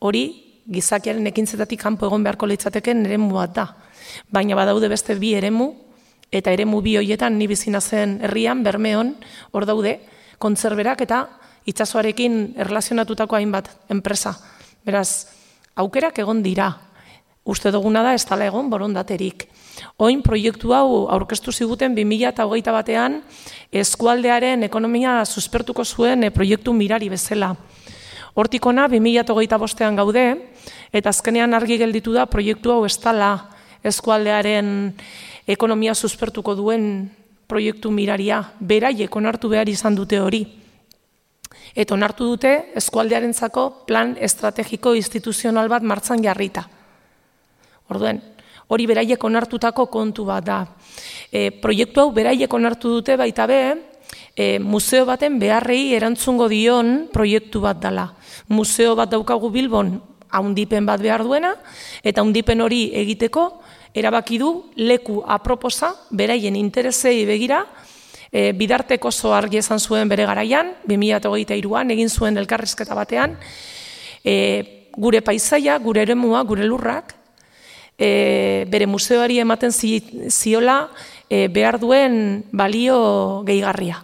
hori gizakiaren ekintzetatik kanpo egon beharko litzateken eremu bat da. Baina badaude beste bi eremu, eta eremu bi horietan ni bizina zen herrian, Bermeon, hor daude, kontserberak eta itsasoarekin erlazionatutako hainbat enpresa. Beraz, aukerak egon dira. Uste duguna da ez dela egon borondaterik. Oin proiektu hau aurkeztu ziguten bi mila hogeita batean eskualdearen ekonomia suspertuko zuen proiektu mirari bezala. Hortikona bi mila hogeita bostean gaude, eta azkenean argi gelditu da proiektu hau ez dela eskualdearen ekonomia suspertuko duen proiektu miraria, beraiek onartu behar izan dute hori. Eta onartu dute eskualdearentzako plan estrategiko instituzional bat martzan jarrita. Orduen, hori beraiek onartutako kontu bat da. E, proiektu hau beraiek onartu dute baita be, e, museo baten beharrei erantzungo dion proiektu bat dela. Museo bat daukagu Bilbon, haundipen bat behar duena, eta haundipen hori egiteko, erabaki du leku aproposa, beraien interesei begira, e, bidartek oso argi esan zuen bere garaian, bi mila hogeita hiruan egin zuen elkarrizketa batean, e, gure paisaia, gure eremua, gure lurrak, e, bere museoari ematen zi, ziola e, behar duen balio gehigarria.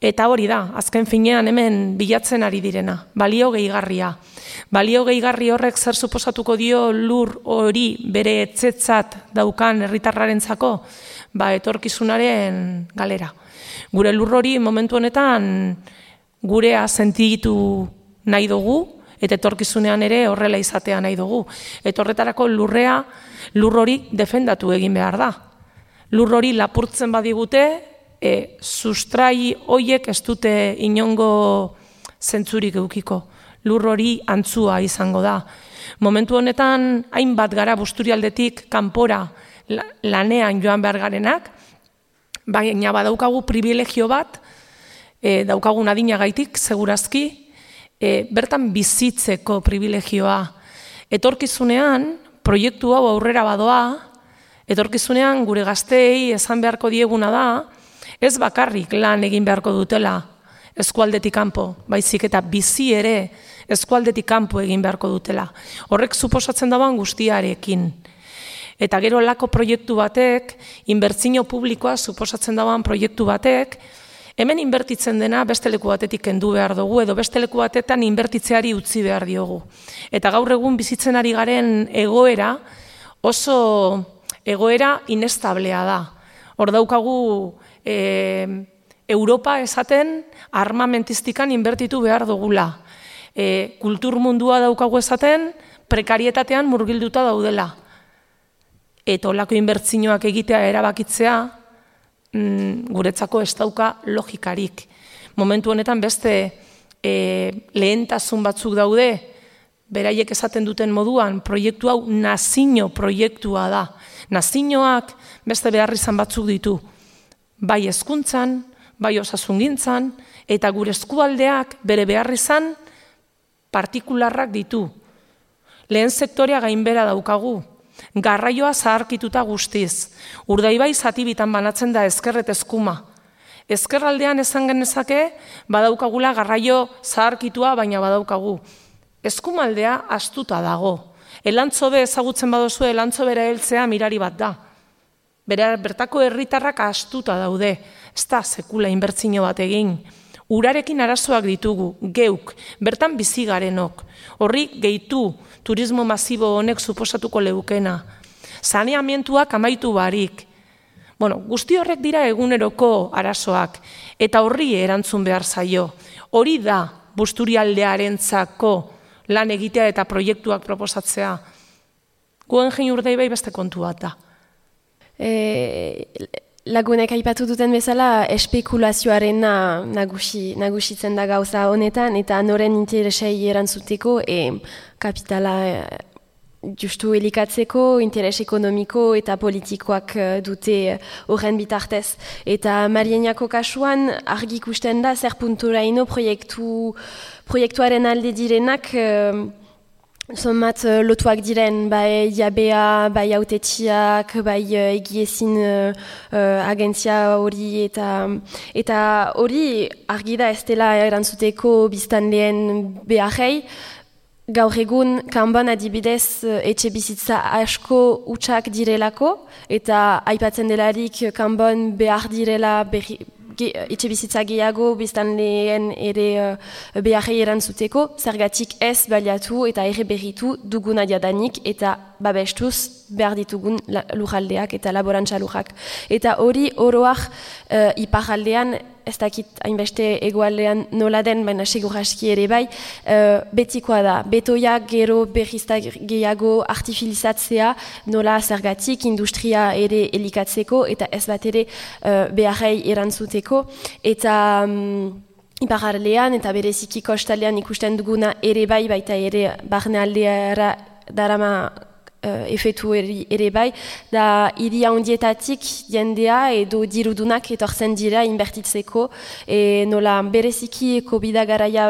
Eta hori da, azken finean hemen bilatzen ari direna, balio gehigarria. Balio gehigarri horrek zer suposatuko dio lur hori bere etxetzat daukan herritarrarentzako, ba etorkizunaren galera. Gure lur hori momentu honetan gurea sentitu nahi dugu, eta etorkizunean ere horrela izatea nahi dugu. Eta horretarako lurrea, lur hori defendatu egin behar da. Lur hori lapurtzen badigute, E, sustrai hoiek ez dute inongo zentzurik eukiko. Lur hori antzua izango da. Momentu honetan, hainbat gara Busturialdetik kanpora lanean joan behar garenak, baina badaukagu privilegio bat, e, daukagun adinagaitik, segurazki, e, bertan bizitzeko privilegioa. Etorkizunean, proiektu hau aurrera badoa, etorkizunean gure gazteei esan beharko dieguna da, ez bakarrik lan egin beharko dutela eskualdetik kanpo, baizik eta bizi ere eskualdetik kanpo egin beharko dutela. Horrek suposatzen dagoen guztiarekin. Eta gero lako proiektu batek, inbertsio publikoa suposatzen dagoen proiektu batek, hemen inbertitzen dena beste leku batetik kendu behar dugu, edo beste leku batetan inbertitzeari utzi behar diogu. Eta gaur egun bizitzen ari garen egoera oso egoera inestablea da. Hor daukagu E, Europa esaten armamentistikan inbertitu behar dugula. E, kultur mundua daukagu esaten prekarietatean murgilduta daudela. Eta olako inbertsioak egitea erabakitzea mm, guretzako ez dauka logikarik. Momentu honetan beste e, lehentasun batzuk daude, beraiek esaten duten moduan, proiektu hau nazio proiektua da. Nazioak beste beharrizan batzuk ditu. Bai hezkuntzan, bai osasungintzan, eta gure eskualdeak bere beharrizan partikularrak ditu. Lehen sektorea gainbera daukagu, garraioa zaharkituta guztiz. Urdaibai zatibitan banatzen da ezkerret eskuma. Ezkerraldean esan genezake, badaukagula garraio zaharkitua, baina badaukagu. Eskumaldea astuta dago. Elantzobe ezagutzen badozu, elantzobera heltzea mirari bat da. Bera, bertako herritarrak astuta daude, ez da sekula inbertsio bat egin. Urarekin arazoak ditugu, geuk, bertan bizi garenok. Horri gehitu turismo masibo honek suposatuko leukena. Saneamentuak amaitu barik. Bueno, guzti horrek dira eguneroko arazoak, eta horri erantzun behar zaio. Hori da Busturialdearentzako lan egitea eta proiektuak proposatzea. Guggenheim Urdaibai beste kontu bat da. E, lagunek aipatu duten bezala espekulazioaren nagusi, nagusitzen da gauza honetan, eta noren interesei erantzuteko e, kapitala e, justu elikatzeko, interes ekonomiko eta politikoak dute horren bitartez. Eta Marieniako kasuan argi ikusten da zer punturaino proiektu, proiektuaren alde direnak e, Zomat uh, lotuak diren, bai jabea, bai autetxiak, bai uh, egiezin uh, uh, agentzia hori eta eta hori argi da ez dela erantzuteko biztanleen beharrei. Gaur egun kanban adibidez uh, etxe bizitza asko utxak direlako eta aipatzen delarik kanban behar direla berri, etxe bizitza gehiago biztanleen ere uh, beharrei erantzuteko, zergatik ez baliatu eta ere berritu duguna jadanik eta babestuz behar ditugun lurraldeak eta laborantza lurrak. Eta hori oroak uh, iparraldean ez dakit hainbeste egoaldean nola den, baina segur aski ere bai, uh, betikoa da. Betoiak gero berrizta gehiago artifilizatzea, nola zergatik industria ere elikatzeko, eta ez bat ere uh, beharrei erantzuteko, eta um, iparraldean eta bereziki kostaldean ikusten duguna ere bai, baita ere barnealdeara darama Uh, efetu ere, ere bai, da hiri handietatik jendea edo dirudunak etortzen dira inbertitzeko, e, nola bereziki COVID garaia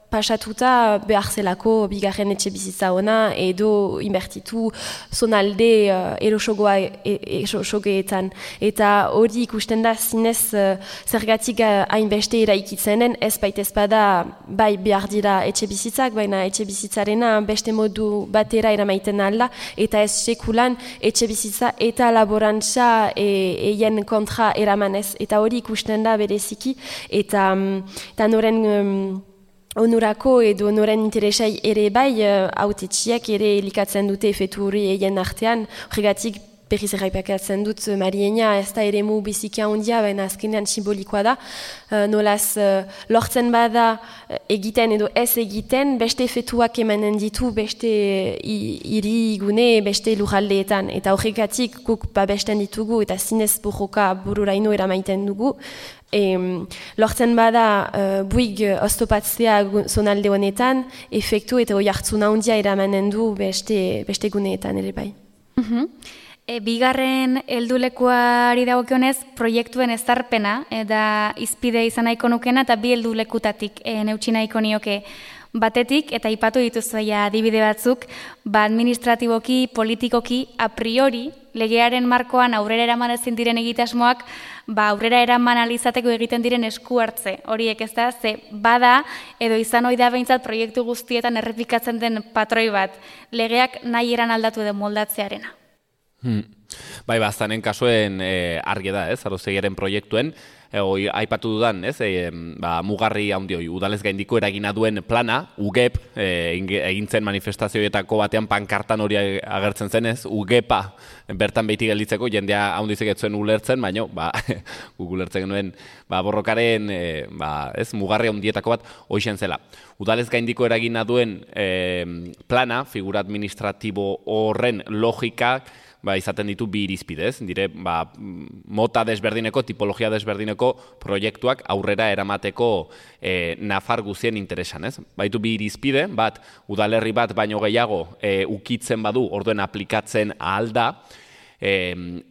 pasatuta behar zelako bigarren etxe bizitza ona edo inbertitu zonalde uh, erosogoa erosogeetan. Eta hori ikusten da zinez uh, zergatik hainbeste eraikitzenen, ez baita ezpada bai behar dira etxe bizitzak, baina etxe bizitzarena beste modu batera eramaiten alda, eta ez sekulan etxe bizitza eta laborantza eien kontra eramanez. Eta hori ikusten da bereziki, eta, um, eta noren... Um, onurako edo noren interesai ere bai, hautetxiak ere elikatzen dute efetu hori eien artean, horregatik berriz erraipakatzen dut Mariena ez da ere mu bizikia ondia, baina azkenean simbolikoa da, uh, nolaz uh, lortzen bada uh, egiten edo ez egiten, beste efetuak emanen ditu, beste hiri gune, beste lurraldeetan, eta horregatik guk babesten ditugu, eta zinez borroka bururaino eramaiten dugu, E, lortzen bada uh, buig oztopatzea zonalde honetan, efektu eta oi hartzuna handia eramanen du beste, beste guneetan ere bai. Uh-huh. E, bigarren heldulekuari dagokionez proiektuen ezarpena, eta izpide izan nahiko nukena, eta bi heldulekutatik e, neutsi nahiko nioke. Batetik, eta ipatu dituzuia adibide batzuk, ba administratiboki, politikoki, a priori, legearen markoan aurrera eraman ezin diren egitasmoak, ba aurrera eraman alizateko egiten diren esku hartze. Horiek ez da, ze bada, edo izan ohi da behintzat proiektu guztietan errepikatzen den patroi bat, legeak nahi eran aldatu edo moldatzearena. Hmm. Bai, baztanen kasuen e, argi da, ez, Arozegiaren proiektuen, e, oi, aipatu dudan, ez, e, ba, mugarri handi hoi, udalez gaindiko eragina duen plana, U G E P, e, egintzen manifestazioetako batean pankartan hori agertzen zen, ez, U G E P a bertan behiti gelditzeko, jendea handizek etzuen ulertzen, baino, ba, ulertzen genuen, ba, borrokaren, e, ba, ez, mugarri handietako bat, hoixen zela. Udalez gaindiko eragina duen e, plana, figura administratibo horren logikak, ba, izaten ditu bi irizpidez, dire, ba, mota desberdineko, tipologia desberdineko proiektuak aurrera eramateko e, nafar guzien interesan, ez? Baitu bi irizpide, bat, udalerri bat baino gehiago e, ukitzen badu, orduen aplikatzen ahal da, e,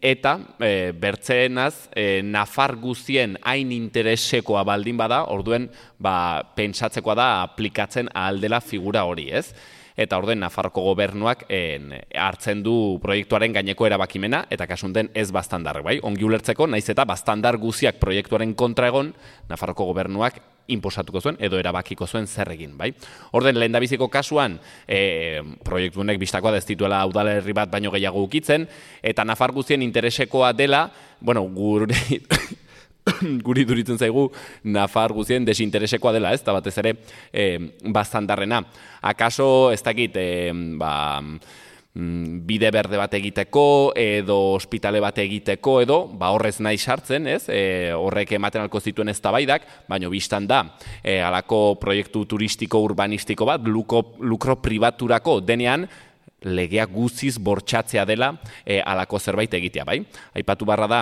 eta e, bertzeenaz, e, nafar guzien hain interesekoa baldin bada, orduen, ba, pentsatzekoa da aplikatzen ahal dela figura hori, ez? Eta orden Nafarroko gobernuak en, hartzen du proiektuaren gaineko erabakimena, eta kasunten ez bastandar, bai? Ongi ulertzeko, naiz eta bastandar guziak proiektuaren kontra egon, Nafarroko gobernuak inposatuko zuen, edo erabakiko zuen zer egin, bai? Orden, lehendabiziko kasuan, e, proiektu honek bistakoa da ez dituela udalerri bat baino gehiago ukitzen, eta Nafar guzien interesekoa dela, bueno, gure... guri duritzen zaigu Nafar guzien desinteresekoa dela, ez, eta batez ere e, bastandarrena. Akaso, ez dakit, e, ba, bide berde bat egiteko, edo ospitale bat egiteko, edo, ba, horrez nahi sartzen, ez, e, horrek ematen alko zituen eztabaidak, baino biztan da, e, alako proiektu turistiko urbanistiko bat, luko, lukro pribaturako denean, legea guziz bortxatzea dela e, alako zerbait egitea, bai? Aipatu barra da,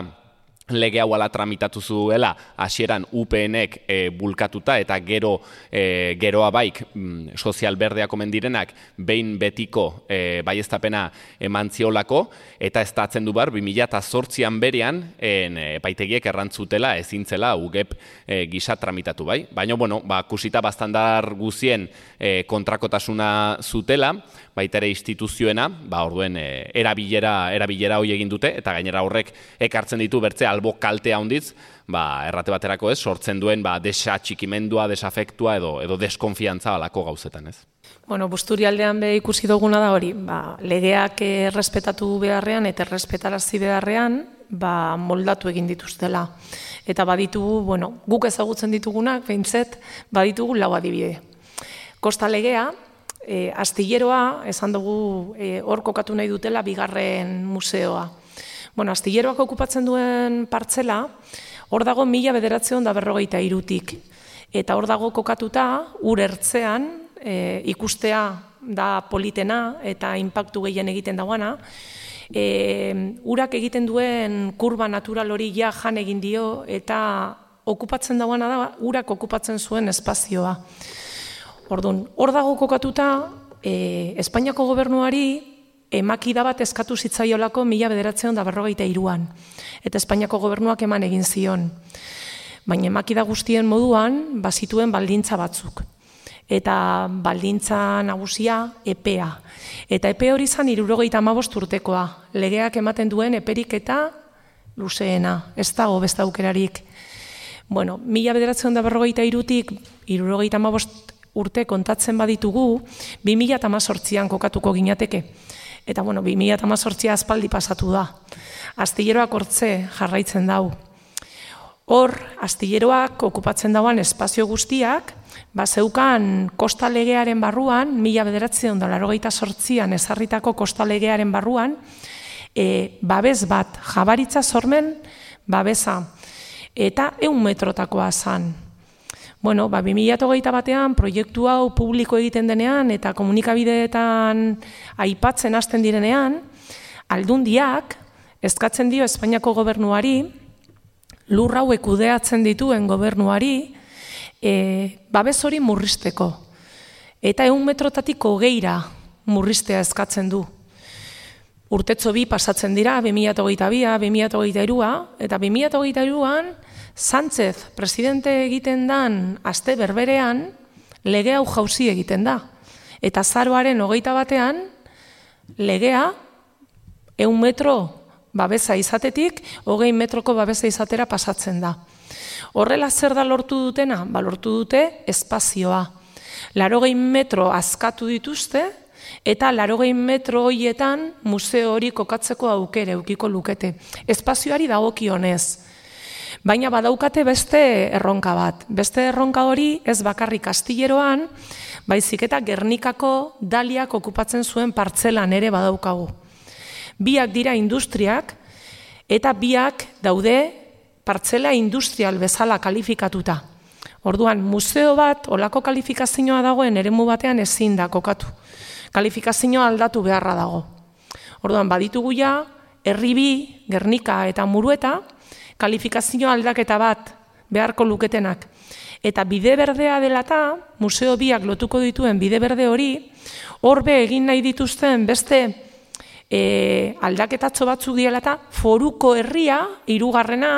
lege hau ala tramitatu zuela hasieran U P N-ek e, bulkatuta eta gero e, geroa baik mm, sozial berdeak omen direnak behin betiko e, baieztapena eman ziolako eta ez da atzen du bar bi mila zortzian berean en, epaitegiek errantzutela ezintzela U G E P e, gisa tramitatu bai. Baina, bueno, ba, kusita bastandar guzien e, kontrakotasuna zutela, baita ere instituzioena, ba, orduen e, erabilera, erabilera hoi egin dute, eta gainera horrek ekartzen ditu bertze albo kalte handitz, ba, errate baterako ez, sortzen duen ba, desatxikimendua, desafektua edo, edo deskonfiantza alako gauzetan ez. Bueno, Busturialdean be ikusi duguna da hori, ba, legeak errespetatu beharrean eta errespetarazi beharrean, ba, moldatu egin dituztela. Eta baditugu, bueno, guk ezagutzen ditugunak, behintzet, baditugu lau adibide. Kosta legea, E, astilleroa, esan dugu, e, hor kokatu nahi dutela bigarren museoa. Bueno, astilleroak okupatzen duen partzela, Hor dago mila bederatziehun eta berrogeita hirutik. Eta hor dago kokatuta, ur ertzean, e, ikustea da politena eta inpaktu gehien egiten dagoana, e, urak egiten duen kurba natural hori ja jan egin dio eta okupatzen dagoana da, urak okupatzen zuen espazioa. Orduan, hor dago kokatuta, e, Espainiako gobernuari emakida bat eskatu zitzaiolako mila bederatziehun eta berrogeita hiruan. Eta Espainiako gobernuak eman egin zion. Baina emakida guztien moduan, bazituen baldintza batzuk. Eta baldintza nagusia epea. Eta epe hori zan hirurogeita hamabost urtekoa. Legeak ematen duen eperik eta luzeena. Ez dago beste aukerarik. Bueno, mila bederatziehun eta berrogeita hirutik hirurogeita hamabost urte kontatzen baditugu, bi mila hemezortzian kokatuko ginateke. Eta, bueno, bi mila hemezortzia aspaldi pasatu da. Astilleroak hortze jarraitzen dau. Hor, astilleroak okupatzen dauan espazio guztiak, bazeukan kosta legearen barruan, mila bederatziehun eta laurogeita zortzian ezarritako kosta legearen barruan, e, babes bat, Jabaritza Sormen babesa, eta ehun metrotakoa zan. Bueno, ba, bi mila hogeita batean proiektu hau publiko egiten denean eta komunikabideetan aipatzen hasten direnean, Aldundiak eskatzen dio Espainiako gobernuari, lur hauek kudeatzen dituen gobernuari, e, babes hori murrizteko. Eta ehun metrotatik hogeira murriztea eskatzen du. Urtetzo bi pasatzen dira, bi mila hogeita bia, bi mila hogeita hirua, eta bi mila hogeita hiruan, Sánchez presidente egiten dan aste berberean, lege hau jauzi egiten da. Eta azaroaren hogeita batean, legea ehun metro babesa izatetik, hogei metroko babesa izatera pasatzen da. Horrela zer da lortu dutena? Ba, lortu dute espazioa. Laurogei metro askatu dituzte, eta laurogei metro horietan museo hori kokatzeko aukere edukiko lukete. Espazioari dagokionez. Baina badaukate beste erronka bat. Beste erronka hori ez bakarrik astilleroan, baizik eta Gernikako Daliak okupatzen zuen partzelan ere badaukagu. Biak dira industriak, eta biak daude partzela industrial bezala kalifikatuta. Orduan, museo bat, olako kalifikazioa dagoen eremu batean ezin da kokatu. Kalifikazioa aldatu beharra dago. Orduan, baditugu ja, herri bi, Gernika eta Murueta, kalifikazio aldaketa bat beharko luketenak. Eta bide berdea dela eta, museo biak lotuko dituen bide berde hori, horbe egin nahi dituzten beste e, aldaketatxo batzuk diela eta, foruko herria, hirugarrena,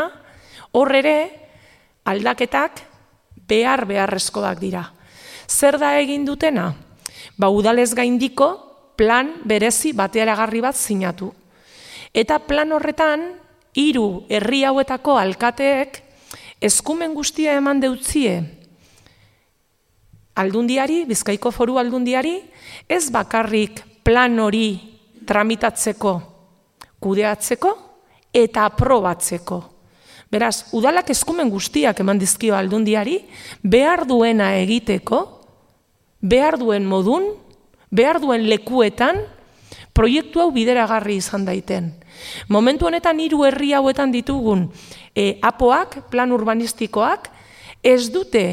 hor ere aldaketak behar beharrezkoak dira. Zer da egin dutena? Ba, udalez gaindiko plan berezi batearagarri bat sinatu. Eta plan horretan, hiru herri hauetako alkateek eskumen guztia eman deutzie Aldundiari, Bizkaiko Foru Aldundiari, ez bakarrik plan hori tramitatzeko, kudeatzeko eta aprobatzeko. Beraz, udalak eskumen guztiak eman dizkio Aldundiari, behar duena egiteko, behar duen modun, behar duen lekuetan, proiektu hau bideragarri izan daiten. Momentu honetan hiru herri hauetan ditugun e, apoak, plan urbanistikoak, ez dute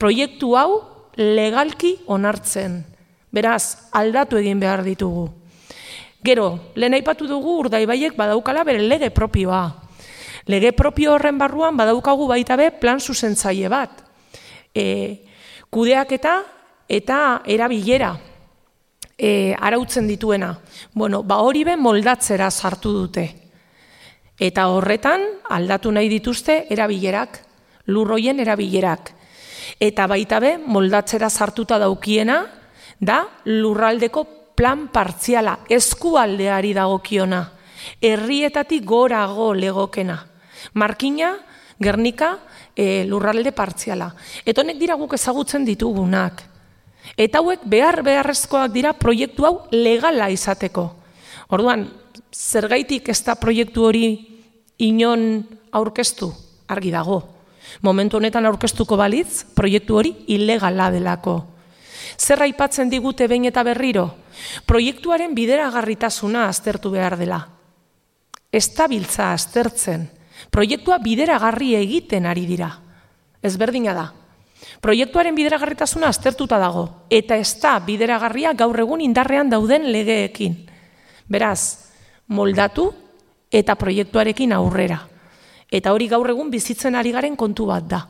proiektu hau legalki onartzen. Beraz, aldatu egin behar ditugu. Gero, lehen aipatu dugu Urdaibaiek badaukala bere lege propioa. Lege propio horren barruan badaukagu baita be plan zuzentzaile bat. E, kudeaketa eta erabilera. E, arautzen dituena. Bueno, ba hori be moldatzera sartu dute. Eta horretan aldatu nahi dituzte erabilerak, lurroien erabilerak. Eta baita be moldatzera sartuta daukiena da lurraldeko plan partziala, eskualdeari dagokiona, herrietatik gorago legokena. Markina, Gernika, e, lurralde partziala. Eta honek dira guk ezagutzen ditugunak. Eta hauek behar beharrezkoak dira proiektu hau legala izateko. Orduan, zergaitik ez da proiektu hori inon aurkeztu? Argi dago. Momentu honetan aurkeztuko balitz, proiektu hori ilegala delako. Zer aipatzen digute behin eta berriro? Proiektuaren bideragarritasuna aztertu behar dela. Ez da biltza aztertzen. Proiektua bideragarri egiten ari dira. Ezberdina da. Proiektuaren bideragarritasuna aztertuta dago, eta ez da bideragarria gaur egun indarrean dauden legeekin. Beraz, moldatu eta proiektuarekin aurrera. Eta hori gaur egun bizitzen ari garen kontu bat da.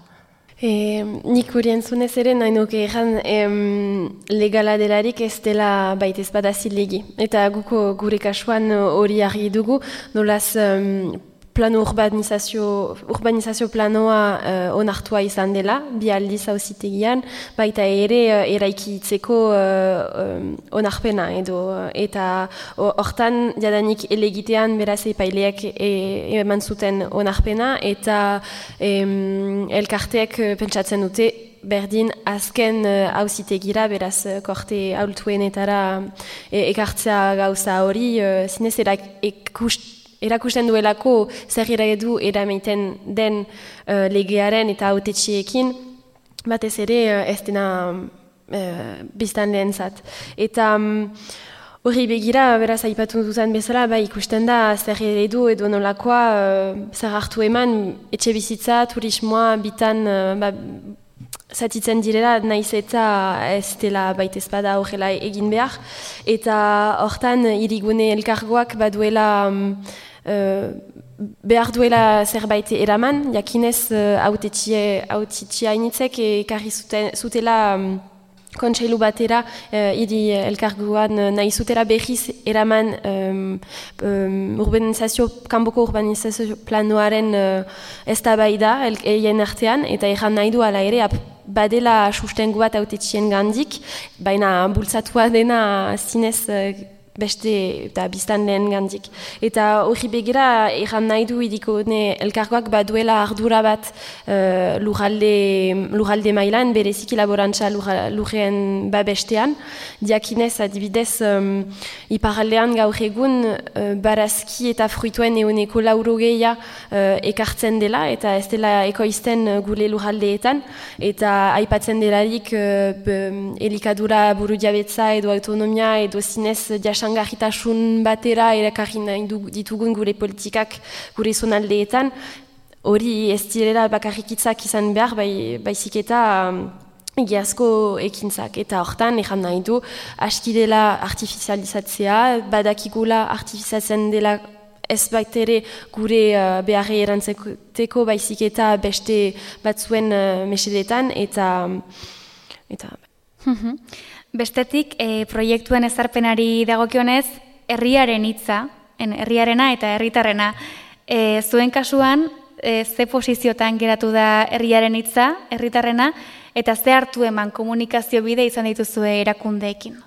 E, nik hori entzunez ere nahi nuke egan legala delarik ez dela baita ez bada zilegi. Eta guko gure kasuan hori argi dugu, nolaz um, plano urbanizazio, urbanizazio planoa uh, onartua izan dela, bi aldiz auzitegian, baita ere uh, eraikitzeko uh, um, onarpena edo, eta hortan jadanik elegitean beraz epaileak e, eman zuten onarpena, eta em, elkarteak pentsatzen dute berdin azken auzitegira, uh, beraz korte aultuenetara e, ekartzea gauza hori, uh, zinez erak ekust erakusten duelako zer eredu eramaiten den uh, legearen eta hautetxeekin, batez ere uh, ez dena uh, biztan lehen zat. Eta hori um, begira, beraz aipatu dutan bezala, ba, ikusten da zer eredu edo nolakoa uh, zer hartu eman etxe bizitza, turismoa, bitan uh, ba, zatitzen direla, naiz eta ez dela baita ezpada horrela egin behar. Eta hortan hirigune elkargoak baduela um, Uh, behar duela zerbait eraman, jakinez hautetxia uh, initzek ekarri zutela um, kontseilu batera uh, hiri elkarguan uh, nahi zutela behiz eraman um, um, urbanizazio, kanboko urbanizazio planoaren uh, eztabaida eien artean, eta erran nahi du ala ere ap, badela sustengu bat hautetxien gandik, baina bultzatua dena zinez uh, beste eta biztan lehen gandik. Eta hori begira erran nahi du idikone elkargoak baduela ardura bat uh, lurralde, lurralde mailan, bereziki laborantza lurrean babestean. Diakinez adibidez um, iparaldean gaur egun uh, barazki eta fruituen euneko laurogeia uh, ekartzen dela, eta ez dela ekoizten gure lurraldeetan, eta aipatzen delarik uh, elikadura buru diabetza edo autonomia edo zinez jasan garritasun batera erakarri nahi ditugun gure politikak gure zonaldeetan, hori ez direla bakarrikitzak izan behar, bai, baizik eta um, egiazko ekintzak. Eta hortan, ejan nahi du, aski dela artifizializatzea, badakigula artifiziatzen dela ez baitere gure uh, beharre erantzeko baizik eta beste batzuen uh, mesedetan, eta... eta Bestetik, e, proiektuen ezarpenari dagokionez, herriaren hitza, herriarena eta herritarrena. E, zuen kasuan, e, ze posiziotan geratu da herriaren hitza, herritarrena, eta ze hartu eman komunikazio bide izan dituzue erakundeekin?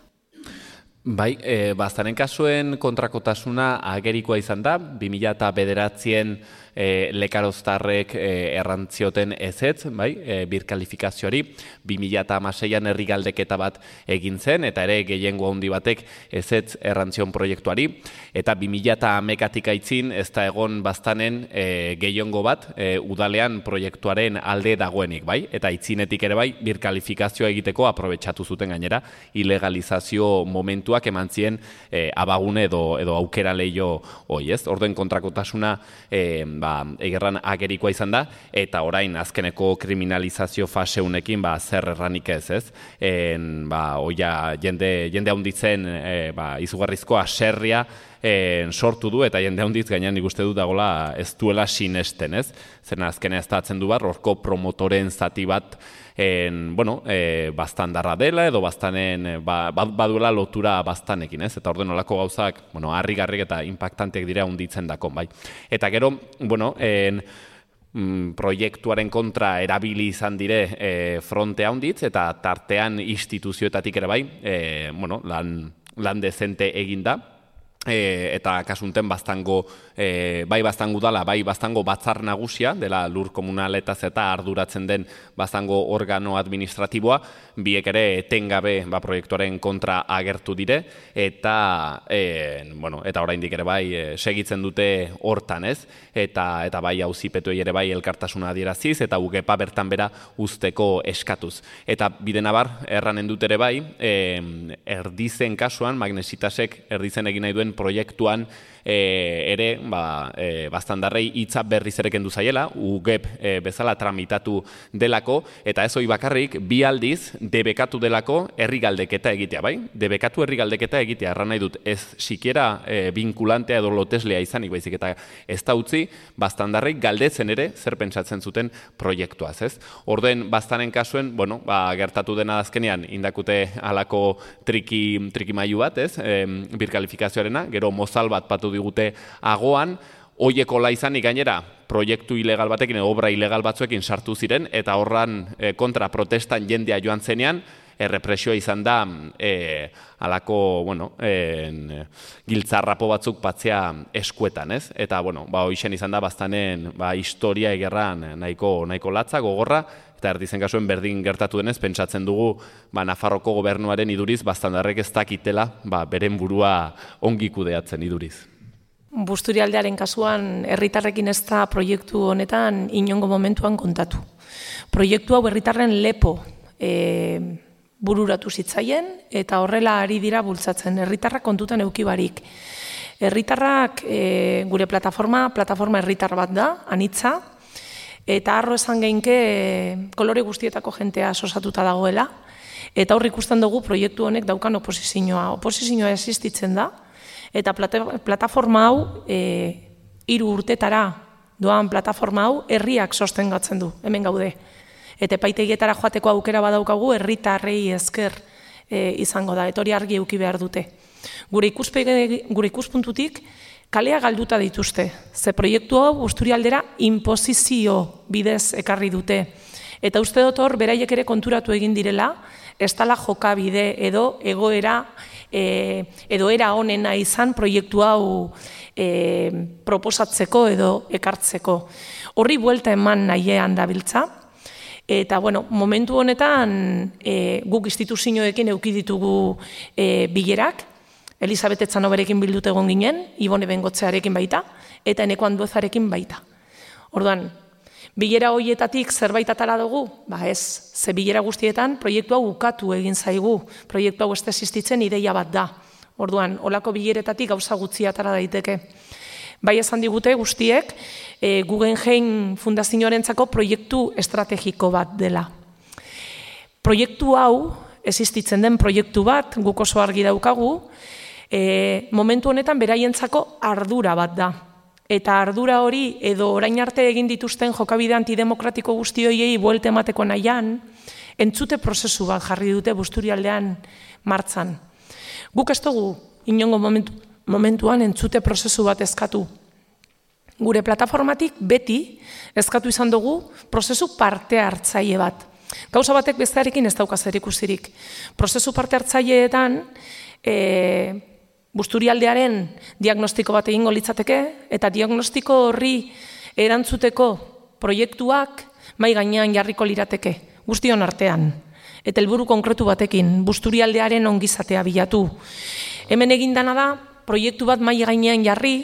Bai, e, baztaren kasuen kontrakotasuna agerikoa izan da, bi mila bederatzien e, lekaroztarrek e, errantzioten ezetz, bai, e, birkalifikazioari, bi mila hamaseian herri galdeketa bat egin zen, eta ere gehiengo handi batek ezetz errantzion proiektuari, eta bi mila hamaikatik aitzin ez da egon baztanen e, gehiengo bat e, udalean proiektuaren alde dagoenik, bai, eta aitzinetik ere bai, birkalifikazioa egiteko aprobetxatu zuten gainera, ilegalizazio momentu eman zien eh, abagune edo, edo aukera lehio hoi, ez? Orduen kontrakotasuna eh, ba, egerran agerikoa izan da, eta orain azkeneko kriminalizazio faseunekin ba, zer erranik ez, ez? En, ba, oia, jende, jende haunditzen eh, ba, izugarrizko aserria eh, sortu du, eta jende haunditz gainean nik uste dut dagoela ez duela sinesten, ez? Zena azkenea ez da atzen du bar, horko promotoren zati bat En, bueno, e, bastandarra dela edo bastanen, ba, baduela lotura bastanekin, ez? Eta orden olako gauzak, bueno, harrigarrik eta impactanteak dira hunditzen dakon, bai. Eta gero, bueno, en, mm, proiektuaren kontra erabili izan dire e, frontea hunditz, eta tartean instituzioetatik ere bai, e, bueno, lan, lan dezente eginda, E, eta kasunten bastango, e, bai bastango dala, bai bastango batzar nagusia, dela lur komunaletaz eta arduratzen den bastango organo administratiboa, biek ere etengabe ba, proiektuaren kontra agertu dire, eta e, bueno, eta oraindik ere bai e, segitzen dute hortan, ez? Eta, eta bai auzipetuei ere bai elkartasuna adieraziz, eta ugepa bertan bera usteko eskatuz. Eta bidenabar, erranen dut ere bai, e, erdizen kasuan, Magnesitasek erdizen egin nahi duen duten proiektuan e, ere, ba, e, baztandarrei hitza berriz ere kendu zaiela, U G E P e, bezala tramitatu delako, eta ez hori bakarrik, bi aldiz, debekatu delako herri galdeketa egitea, bai? Debekatu herri galdeketa egitea, erran nahi dut, ez sikiera e, vinkulantea edo loteslea izanik, baizik eta ez da utzi, baztandarrei galdetzen ere, zer pentsatzen zuten proiektuaz, ez? Orden, baztanen kasuen, bueno, ba, gertatu dena azkenean, indakute halako triki, triki mailu bat, ez? E, birkalifikazioarena, gero mozal bat patu digute agoan, hoieko la izanik gainera, proiektu ilegal batekin, obra ilegal batzuekin sartu ziren, eta horran e, kontra protestan jendea joan zenean, errepresioa izan da e, alako, bueno, e, giltzarrapo batzuk patzea eskuetan, ez? Eta, bueno, ba, hoixen izan da baztanen ba, historia egerran nahiko, nahiko latza, gogorra, eta erdizen kasuen berdin gertatu denez, pentsatzen dugu ba, Nafarroko gobernuaren iduriz, baztandarrek ez dakitela ba, beren burua ongi kudeatzen iduriz. Busturialdearen kasuan, herritarrekin ez da proiektu honetan inongo momentuan kontatu. Proiektu hau herritarren lepo e, bururatu zitzaien, eta horrela ari dira bultzatzen. Herritarrak kontutan eukibarik. Herritarrak e, gure plataforma, plataforma herritar bat da, anitza, eta harro esan geinke e, kolore guztietako jentea osatuta dagoela, eta hor ikusten dugu proiektu honek daukan oposizioa. Oposizioa existitzen da, eta plata, plataforma hau, e, hiru urtetara doan plataforma hau, herriak sostengatzen du, hemen gaude. Eta epaitegietara joateko aukera badaukagu, herritarrei esker e, izango da, eta hori argi eduki behar dute. Gure, gure ikuspuntutik, kalea galduta dituzte, ze proiektu hau Busturialdera inposizio bidez ekarri dute. Eta uste dut hor, beraiek ere konturatu egin direla, ez dela jokabide edo egoera, e, edo era honena izan proiektu hau e, proposatzeko edo ekartzeko. Horri buelta eman nahiean dabiltza, eta bueno, momentu honetan e, guk instituzioekin eduki ditugu e, bilerak, Elisabet Etzanoberekin bildut egon ginen, Ibone Bengotzearekin baita, eta Eneko Anduezarekin baita. Orduan, bilera horietatik zerbait atara dugu? Ba ez, ze bilera guztietan proiektu hau ukatu egin zaigu, proiektu hau ez existitzen ideia bat da. Orduan, olako bileretatik gauza gutxi atara daiteke. Bai esan digute guztiek, e, Guggenheim Fundazioarentzako proiektu estrategiko bat dela. Proiektu hau, existitzen den proiektu bat, guk oso argi daukagu, E, momentu honetan beraientzako ardura bat da. Eta ardura hori edo orain arte egin dituzten jokabide antidemokratiko guzti horiei buelte emateko nahian, entzute prozesu bat jarri dute Busturialdean martzan. Guk ez dugu inongo momentu, momentuan entzute prozesu bat eskatu. Gure plataformatik beti eskatu izan dugu prozesu parte hartzaile bat. Gauza batek bestearekin ez dauka zer ikusirik. Prozesu parte hartzaileetan e, Busturialdearen diagnostiko bat egingo litzateke, eta diagnostiko horri erantzuteko proiektuak mai gainean jarriko lirateke, guztion artean. Eta helburu konkretu batekin, Busturialdearen ongizatea bilatu. Hemen egindana da, proiektu bat mai gainean jarri,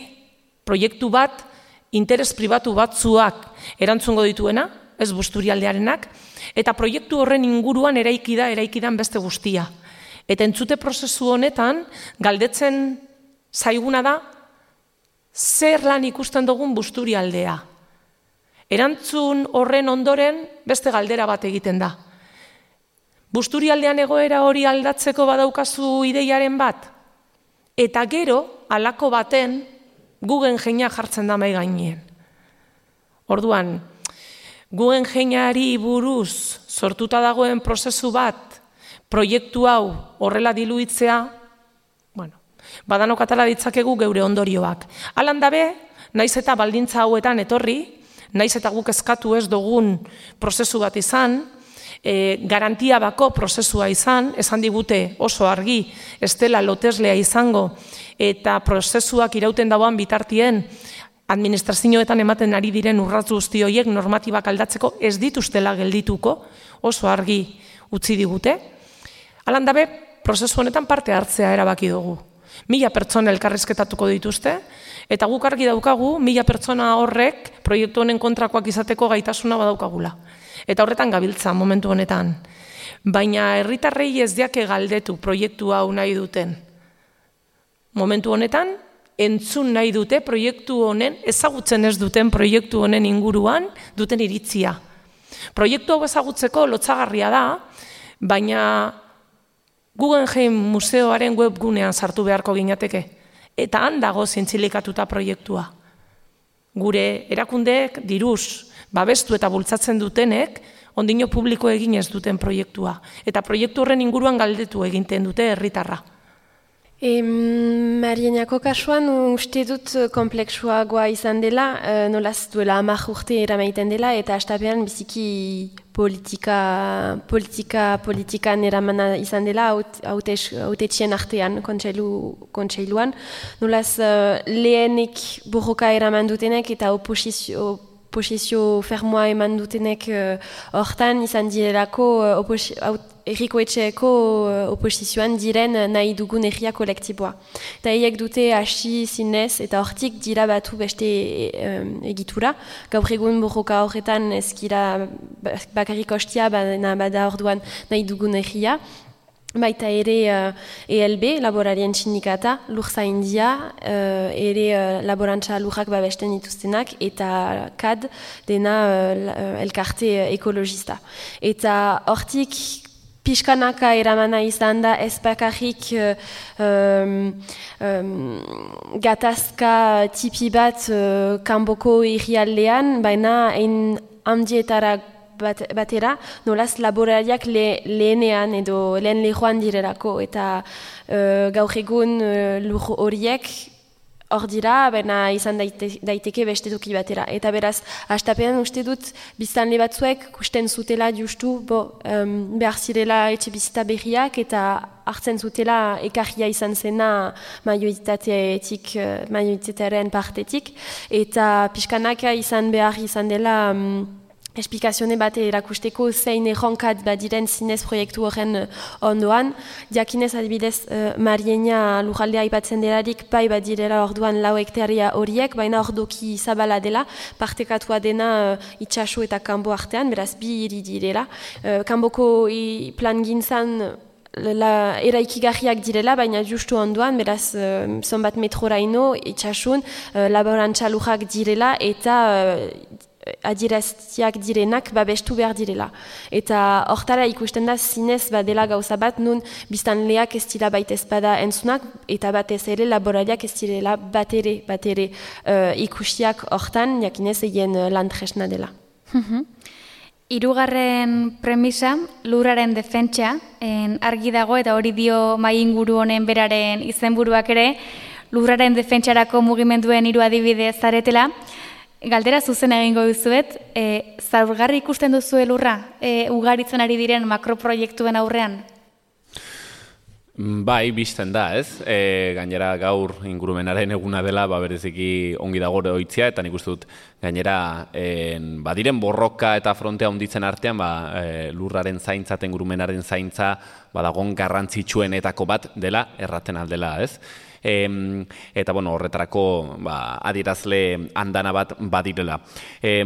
proiektu bat interes pribatu batzuak erantzungo dituena, ez Busturialdearenak, eta proiektu horren inguruan eraiki da, eraikidan beste guztia. Eta entzute prozesu honetan, galdetzen zaiguna da, zer lan ikusten dugun Busturialdea. Erantzun horren ondoren beste galdera bat egiten da. Busturialdean egoera hori aldatzeko badaukazu ideiaren bat? Eta gero, halako baten, Guggenheima jartzen da mai gainean. Orduan, Guggenheimari buruz sortuta dagoen prozesu bat, proiektu hau horrela diluitzea, bueno, badanok atala ditzakegu geure ondorioak. Halan dabe, naiz eta baldintza hauetan etorri, naiz eta guk eskatu ez dugun prozesu bat izan, e, garantia bako prozesua izan, esan digute oso argi, ez dela loteslea izango, eta prozesuak irauten dauan bitartien, administrazioetan ematen ari diren urratz guzti horiek normatibak aldatzeko ez dituztela geldituko, oso argi utzi digute. Halan dabe, prozesu honetan parte hartzea erabaki dugu. Mila pertsona elkarrizketatuko dituzte, eta guk argi daukagu, mila pertsona horrek proiektu honen kontrakoak izateko gaitasuna badaukagula. Eta horretan gabiltza momentu honetan. Baina herritarrei ez diake galdetu proiektu hau nahi duten. momentu honetan, entzun nahi dute proiektu honen, ezagutzen ez duten proiektu honen inguruan duten iritzia. Proiektu hau ezagutzeko lotsagarria da, baina Guggenheim museoaren webgunean sartu beharko ginateke. Eta han dago zintzilikatuta proiektua. Gure erakundeek diruz babestu eta bultzatzen dutenek, ondino publiko egin ez duten proiektua. Eta proiektu horren inguruan galdetu egiten dute herritarra. E, Marienako kasuan uste dut kompleksuagoa izan dela, e, nolaz duela hamar urte eramaiten dela, eta astapean biziki politika, politika, politikan eramana izan dela, hautetxien artean, kontseilu, kontseiluan. Nolaz uh, lehenik borroka eraman dutenek eta oposizio, oposizio fermoa eman dutenek hortan uh, izan direlako uh, erriko etxeeko uh, oposizioan diren nahi dugun erria kolektiboa. Eta eiek dute hasi zinez eta hortik dira batu beste um, egitura. Gaur egun borroka horretan ezkira bakarrik ostia bada, bada orduan nahi dugun erria. Baita ere uh, E L B, laborarien sindikata, lurzaindia, uh, ere uh, laborantza lurrak babesten dituztenak, eta C A D dena uh, elkarte uh, ekologista. Eta hortik pixkanaka eramana izan da ez bakarrik uh, um, um, gatazka tipi bat uh, kanboko irrialdean, baina ein handietara Bat, batera, nolaz laborariak le, lehenean edo lehen lehoan direlako, eta uh, gaur egun uh, lur horiek hor dira, baina izan daite, daiteke beste toki batera. Eta beraz, hastapean uste dut, biztanle batzuek kusten zutela justu, bo, um, behar zirela etxe bizita berriak, eta hartzen zutela ekarria izan zena majoitateetik, majoitatearen partetik, eta pixkanaka izan behar izan dela um, esplikazioa bat erakusteko zein erronkat badiren zinez proiektu horren ondoan. Diakinez adibidez uh, Mariena lujaldea aipatzen delarik bai badirela orduan lau hektaria horiek, baina ordoki zabala dela, partekatua dena uh, itxaso eta kanbo artean, beraz bi hiri direla. Uh, kanboko plan gintzan la eraikigarriak direla, baina justu onduan, beraz, uh, zonbat metroraino, itxasun, uh, laborantza lujak direla, eta uh, adieraztiak direnak babestu behar direla. Eta hortara ikusten da zinez badela gauza bat, nun biztanleak ez dira baita ezpada entzunak, eta batez ere laborariak ez direla bat ere, bat ere uh, ikusiak hortan, jakinez egin uh, landresna dela. Hirugarren premisa, lurraren defentsa, en argi dago eta hori dio mai inguru honen beraren izenburuak ere, lurraren defentsarako mugimenduen hiru adibide zaretela. Galdera zuzen egingo duzuet, e, zaurgarri ikusten duzu lurra, e, ugaritzen ari diren makroproiektuen aurrean? Bai, bizten da, ez? E, gainera gaur ingurumenaren eguna dela, ba, bereziki ongi dago oitzia, eta nik uste dut gainera en, badiren borroka eta frontea handitzen artean, ba, e, lurraren zaintza, ingurumenaren zaintza, badagon garrantzitsuenetako bat dela, erraten aldela, ez? E, eta bueno, horretarako ba, adierazle andana bat badirela. E,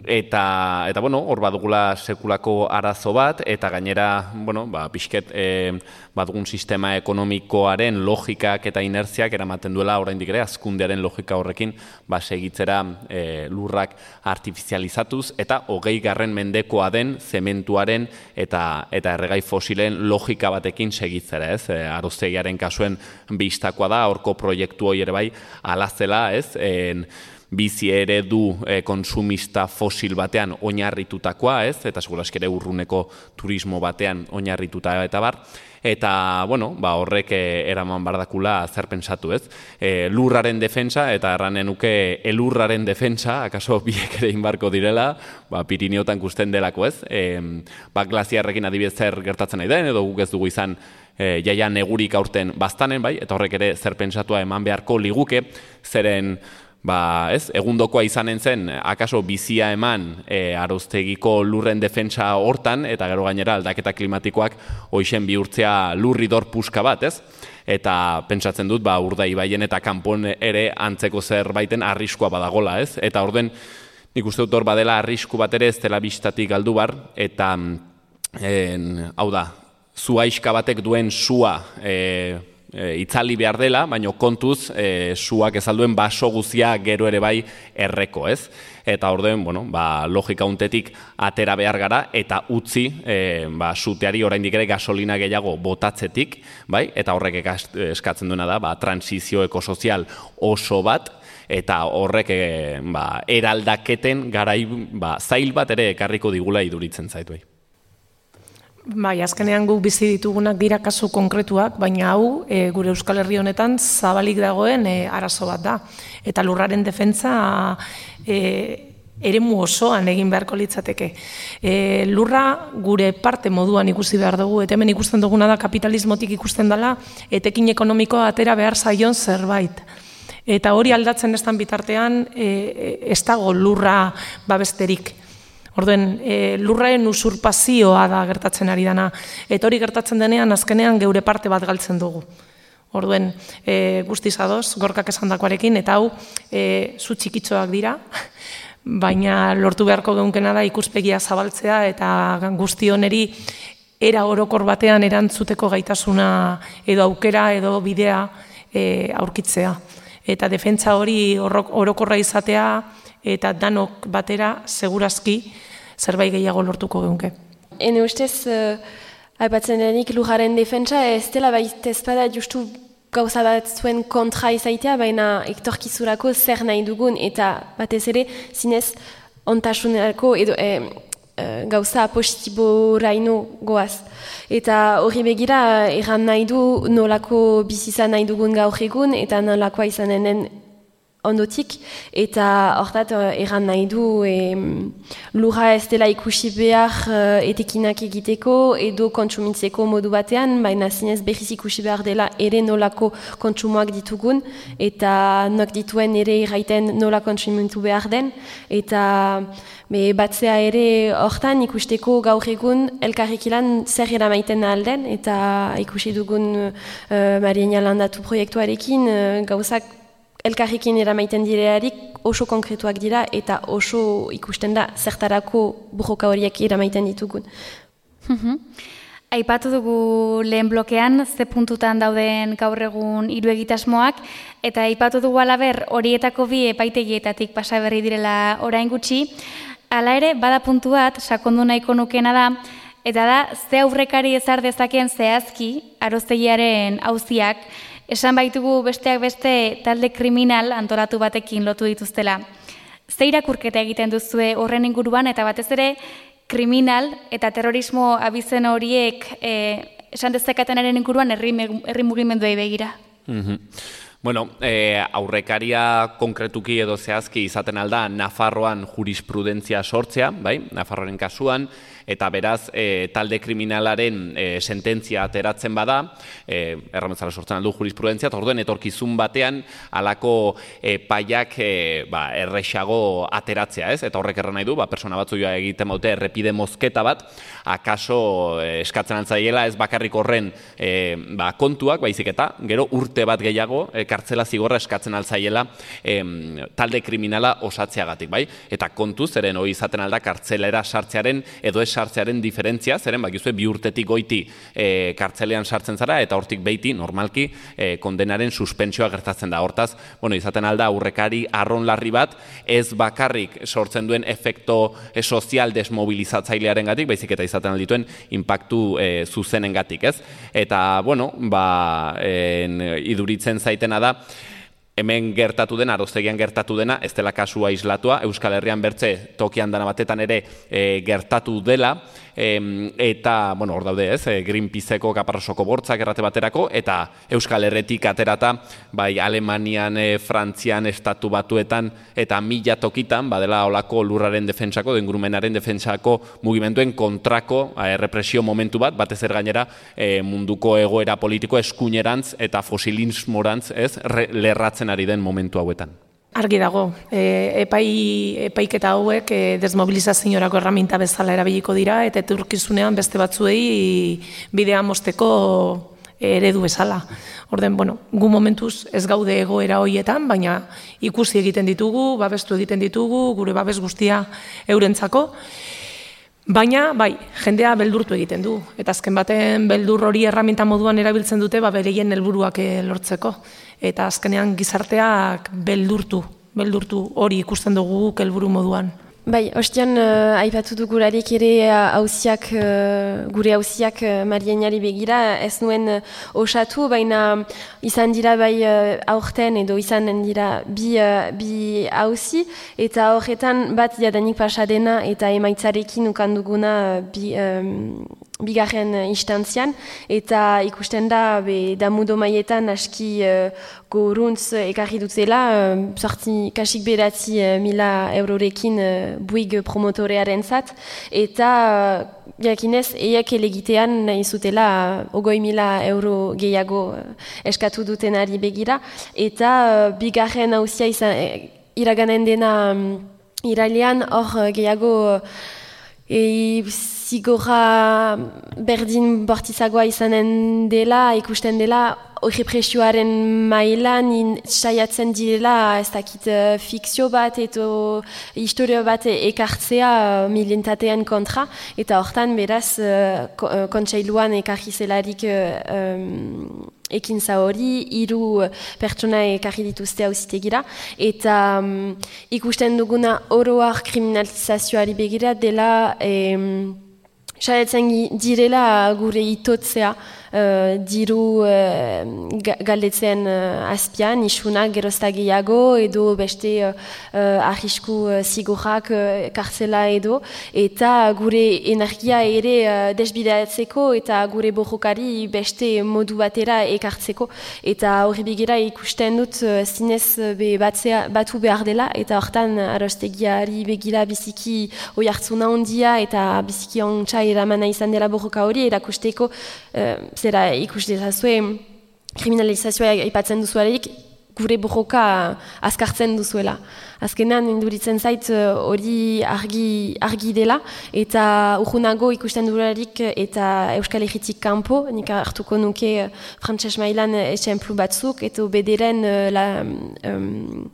eta, eta bueno, hor badugula sekulako arazo bat, eta gainera, bueno, ba, pixket e, badugun sistema ekonomikoaren logikak eta inertziak eramaten duela oraindik ere hazkundearen logika horrekin ba, segitzera e, lurrak artifizializatuz eta hogei garren mendekoa den zementuaren eta, eta erregai fosilen logika batekin segitzera, ez? E, Aroztegiaren kasuen bistakoa da, horko proiektu hori ere bai alazela, ez? En, bizi ere du e, konsumista fosil batean oinarritutakoa, ez? Eta seguraski ere urruneko turismo batean oinarrituta eta bar. Eta, bueno, ba, horrek e, eraman bardakula zer pensatu, ez? E, lurraren defentsa, eta erranen nuke elurraren defentsa, akaso biek ere inbarko direla, ba, Pirineotan gusten delako, ez? E, ba, glaziarrekin adibidez zer gertatzen nahi den, edo guk ez dugu izan e, jaia negurik aurten baztanen, bai? Eta horrek ere zer pentsatua eman beharko liguke, zeren ba, ez, egundokoa izanen zen, akaso bizia eman e, Aroztegiko lurren defentsa hortan, eta gero gainera aldaketa klimatikoak hoixen bihurtzea lurridor puska bat, ez? Eta pentsatzen dut, ba, Urdaibaien eta kanpon ere antzeko zerbaiten arriskua badagola, ez? Eta orden, nik uste dut hor badela arrisku bat ere ez dela bistatik galdu bar, eta, en, hau da, zuaiska batek duen sua, e, e, itzali behar dela, baina kontuz e, suak ezalduen baso guzia gero ere bai erreko, ez? Eta orduen, bueno, ba, logika untetik atera behar gara eta utzi e, ba, suteari oraindik ere gasolina gehiago botatzetik, bai? Eta horrek eskatzen duena da, ba, transizio ekosozial oso bat, eta horrek e, ba, eraldaketen garai ba, zail bat ere ekarriko digula iduritzen zaitu. Bai. Bai, azkenean guk bizi ditugunak dira kasu konkretuak, baina hau e, gure Euskal Herri honetan zabalik dagoen e, arazo bat da. Eta lurraren defentsa e, eremu osoan egin beharko litzateke. E, lurra gure parte moduan ikusi behar dugu, eta hemen ikusten duguna da kapitalismotik ikusten dela, etekin ekonomikoa atera behar zaion zerbait. Eta hori aldatzen estan bitartean e, ez dago lurra babesterik. Orduen, e, lurraen usurpazioa da gertatzen ari dana. Eta hori gertatzen denean, azkenean geure parte bat galtzen dugu. Orduen, e, guztiz adoz, gorkak esandakoarekin, eta hau, e, zu txikitxoak dira, baina lortu beharko geunkena da ikuspegia zabaltzea, eta guzti honeri era orokor batean erantzuteko gaitasuna edo aukera edo bidea e, aurkitzea. Eta defentsa hori orokorra izatea, eta danok batera, segurazki, zerbait gehiago lortuko geunke. Ene ustez, uh, aipatzen denik lujaren defentsa, ez dela baita ezpada justu gauza bat zuen kontra izaitea, baina ektorkizurako zer nahi dugun, eta batez ere, zinez, ontasunerako edo eh, eh, gauza positiboraino goaz. Eta hori begira, erran nahi du nolako bizizan nahi dugun gaur egun, eta nolakoa izanen ondotik, eta hortat erran nahi du e, lurra ez dela ikusi behar uh, etekinak egiteko edo kontsumitzeko modu batean, baina zinez berriz ikusi behar dela ere nolako kontsumoak ditugun, eta nok dituen ere irraiten nola kontsumitu behar den, eta be, batzea ere hortan ikusteko gaur egun elkarrekilan zer eramaiten alden, eta ikusi dugun uh, Marienia Landatu proiektuarekin uh, gauzak elkarrekin eramaiten direarik oso konkretuak dira eta oso ikusten da zertarako burroka horiek eramaiten ditugun. Aipatu dugu lehen blokean ze puntutan dauden gaur egun hiru egitasmoak, eta aipatu dugu alaber horietako bi epaitegietatik pasa berri direla orain gutxi. Hala ere, bada puntu bat sakondu nahiko nukena da, eta da ze aurrekari ezar dezakeen zehazki aroztegiaren auziak, esan baitugu besteak beste talde kriminal antolatu batekin lotu dituztela. Ze irakurketa egiten duzue horren inguruan, eta batez ere kriminal eta terrorismo abizen horiek e, esan dezakatenaren inguruan herri, herri mugimenduei begira? Mm-hmm. Bueno, eh, aurrekaria konkretuki edo zehazki izaten alda Nafarroan jurisprudentzia sortzea, bai? Nafarroaren kasuan, eta beraz e, talde kriminalaren e, sententzia ateratzen bada, e, errametzala sortzen aldu jurisprudentzia, eta orduen etorkizun batean alako e, paiak e, ba, errexago ateratzea, ez? Eta horrek erran nahi du, ba, persona batzu joa egiten baute errepide mozketa bat, akaso e, eskatzen altzaiela ez bakarrik horren e, ba, kontuak, baizik eta gero urte bat gehiago, e, kartzela zigorra eskatzen altzaiela e, talde kriminala osatzeagatik, bai? Eta kontuz, zeren hori izaten alda kartzelera sartzearen edo ez sartzearen diferentzia, zeren bakizue bi urtetik goiti e, kartzelean sartzen zara, eta hortik beiti, normalki, e, kondenaren suspensioa gertatzen da. Hortaz, bueno, izaten alda aurrekari arronlarri bat, ez bakarrik sortzen duen efekto e, sozial desmobilizatzailearen gatik, baizik eta izaten aldituen impactu e, zuzenen gatik, ez? Eta, bueno, ba, en, iduritzen zaitena da, hemen gertatu dena, aroztegian gertatu dena, ez dela kasua islatua, Euskal Herrian bertze tokian dana batetan ere e, gertatu dela, e, eta, bueno, hor daude ez, e, Greenpeaceko kaparrosoko bortzak errate baterako, eta Euskal Herretik aterata, bai Alemanian, e, Frantzian, Estatu Batuetan, eta mila tokitan, badela olako lurraren defentsako, ingurumenaren defentsako mugimenduen kontrako e, represio momentu bat, batez er gainera e, munduko egoera politiko eskuinerantz eta fosilismorantz, ez, re, lerratzen ari den momentu hauetan. Argi dago, e, epai, epaiketa hauek e, desmobilizaziorako erraminta bezala erabiliko dira, eta etorkizunean beste batzuei bidea mosteko eredu bezala. Orden, bueno, gu momentuz ez gaude egoera horietan, baina ikusi egiten ditugu, babestu egiten ditugu, gure babes guztia eurentzako. Baina, bai, jendea beldurtu egiten du. Eta azken baten beldur hori erraminta moduan erabiltzen dute, ba, bereien helburuak lortzeko. Eta azkenean gizarteak beldurtu, beldurtu hori ikusten dugu guk helburu moduan. Bai, ostian uh, aipatu dugularik ere hauziak, uh, gure hauziak uh, Marienari begira, ez nuen uh, osatu, baina izan dira bai uh, aurten edo izan dira bi, uh, bi hauzi, eta horretan bat jadanik pasadena eta emaitzarekin ukanduguna uh, bi, um, bigarren instantzian, eta ikusten da be, damudo maietan aski uh, goruntz ekarri dutela, uh, sorti kasik beratzi uh, mila eurorekin uh, buig promotorearen zat, eta uh, jakinez, eiek elegitean nahi zutela uh, ogoi mila euro gehiago uh, eskatu dutenari begira, eta uh, bigarren hauzia izan, eh, iraganen dena um, irailean hor uh, gehiago uh, e, zigorra berdin bortizagoa izanen dela, ikusten dela, hori presioaren mailan saiatzen direla, ez dakit uh, fikzio bat edo historio bat ekartzea uh, militatean kontra, eta hortan beraz uh, kontseiluan ekarri zelarik uh, um, ekintza hori, hiru pertsona ekarri dituzte auzitegira, eta um, ikusten duguna oroar kriminalizazioari begira dela um, saiatzen direla gure itotzea, uh, diru uh, galdetzen uh, azpian, isunak gerozta gehiago, edo beste uh, uh, arrisku uh, zigorrak uh, kartzela edo, eta gure energia ere uh, desbideatzeko eta gure borrokari beste modu batera ekartzeko, eta hori begira ikusten dut uh, zinez be batzea, batu behar dela, eta hortan arostegiari begira biziki oi hartzuna ondia eta biziki ontsa eramana izan dela borroka hori, erakusteko uh, zera ikuste zazue kriminalizazioa aipatzen duzuarik, gure borroka azkartzen duzuela. Azkenan induritzen zait hori argi, argi dela, eta urgunago ikusten duelarik eta Euskal Herritik kanpo, nik hartuko nuke frantses mailan esemplu batzuk, eta bederen la, um,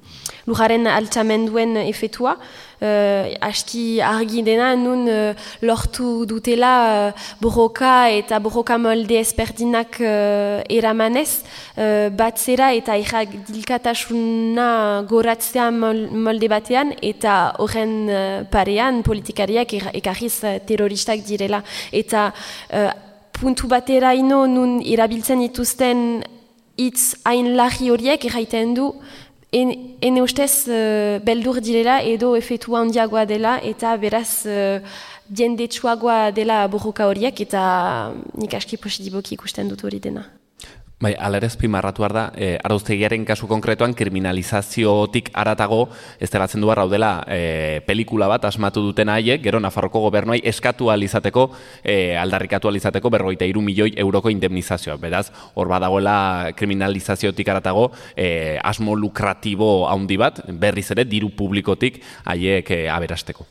lujaren altxamenduen efetua, Uh, aski argi dena, nun uh, lortu dutela uh, borroka eta borroka molde ezberdinak uh, eramanez, uh, batzera eta erradilkatasuna goratzea molde batean, eta horren uh, parean politikariak ekarriz uh, terroristak direla. Eta uh, puntu batera ino nun erabiltzen dituzten hitz hain larri horiek erraiten du, ene ustez uh, beldur direla edo efetua handiagoa dela, eta beraz uh, jendetsuagoa dela borroka horiek, eta nik aski positiboki ikusten dut hori dena. Bai, alerez pimarratu da, e, arauztegiaren kasu konkretuan kriminalizaziotik aratago ez delatzen du barra dela e, pelikula bat asmatu duten haiek, gero Nafarroko gobernuai eskatu alizateko, e, aldarrikatu alizateko berrogeita hiru milioi euroko indemnizazioa. Beraz, hor badagoela kriminalizaziotik aratago e, asmo lukratibo handi bat, berriz ere diru publikotik haiek e, aberasteko.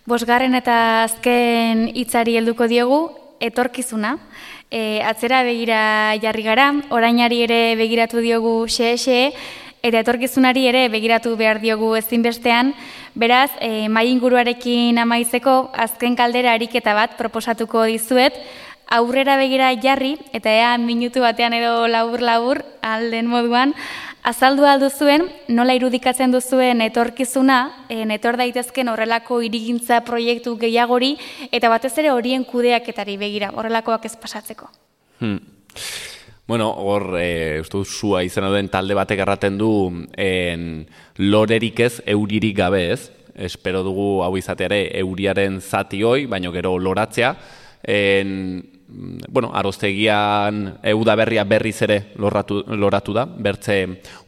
Bosgarren eta azken hitzari helduko diogu, etorkizuna. E, atzera begira jarri gara, orainari ere begiratu diogu xe-xe, eta etorkizunari ere begiratu behar diogu ezinbestean. Beraz, e, mai inguruarekin amaitzeko azken kaldera ariketa bat proposatuko dizuet, aurrera begira jarri, eta ea minutu batean edo labur-labur alden moduan, azaldu alduzuen, nola irudikatzen duzuen etorkizuna, etor daitezken horrelako hirigintza proiektu gehiagori, eta batez ere horien kudeaketari begira, horrelakoak ez pasatzeko. Hmm. Bueno, hor, e, uste dut, zua izan duen talde batek erraten du en, lorerik ez, euririk gabe ez. Espero dugu hau izateare euriaren zati hoi, baino gero loratzea. En, bueno, aroztegian eudaberria berriz ere loratu, loratu da, bertze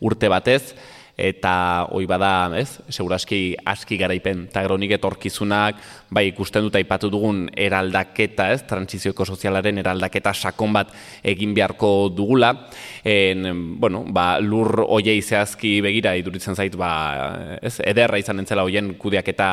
urte batez, eta hoi bada, ez, seguraski aski garaipen, eta gero nik etorkizunak, bai ikusten dut aipatu dugun eraldaketa, ez, trantsizioko sozialaren eraldaketa sakon bat egin beharko dugula, en, bueno, ba, lur hoiei zehazki begira iduritzen zait, ba, ez, ederra izan entzela hoien kudeaketa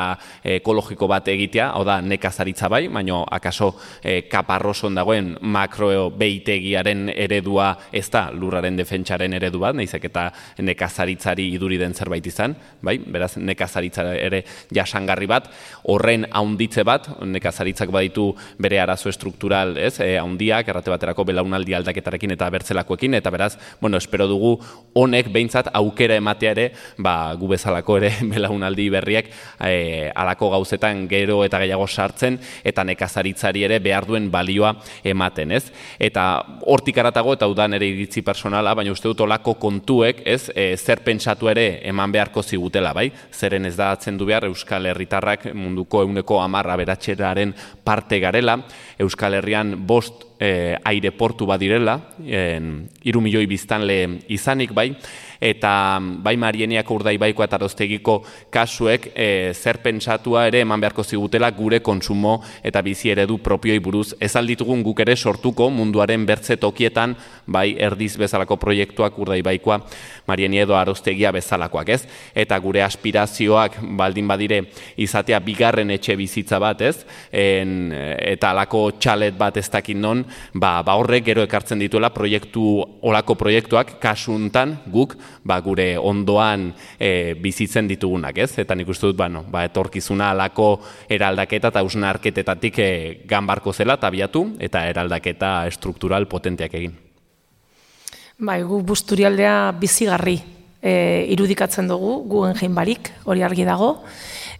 ekologiko bat egitea, hau da nekazaritza bai, baino akaso e, kaparroson dagoen makro beitegiaren eredua ez da lurraren defentsaren eredu bat, naizek eta nekazaritzari iduri den zerbait izan, bai? Beraz, nekazaritza ere jasangarri bat, horren haunditze bat, nekazaritzak baditu bere arazo estruktural, ez, e, haundiak, errate baterako belaunaldi aldaketarekin eta bertzelakoekin, eta beraz, bueno, espero dugu honek behintzat aukera ematea ere, ba, gu bezalako ere belaunaldi berriak e, alako gauzetan gero eta gehiago sartzen, eta nekazaritzari ere behar duen balioa ematen, ez? Eta hortik aratago, eta udan ere iritzi personala, baina uste dut olako kontuek, ez, e, zer pentsatu ere eman beharko zigutela, bai? Zeren ez da atzendu behar Euskal Herritarrak munduko ehuneko hamar aberatseraren parte garela, Euskal Herrian bost e, aireportu badirela, hiru milioi biztanle izanik, bai? Eta bai Marieniako Urdaibaiko eta Aroztegiko kasuek e, zer pentsatua ere eman beharko zigutela gure kontsumo eta bizi eredu propioi buruz. Ez alditugun guk ere sortuko munduaren bertze tokietan, bai erdiz bezalako proiektuak Urdaibaikoa, Marienia edo Aroztegia bezalakoak, ez? Eta gure aspirazioak baldin badire izatea bigarren etxe bizitza bat, ez? En, eta alako txalet bat ez dakin non, ba, ba horrek gero ekartzen dituela proiektu, olako proiektuak kasuntan guk, ba, gure ondoan e, bizitzen ditugunak, ez? Eta nik uste dut, bueno, ba, etorkizuna alako eraldaketa eta hausnarketetatik e, ganbarko zela tabiatu eta eraldaketa struktural potenteak egin. Bai, gu Busturialdea bizigarri e, irudikatzen dugu, gu enjein barik, hori argi dago,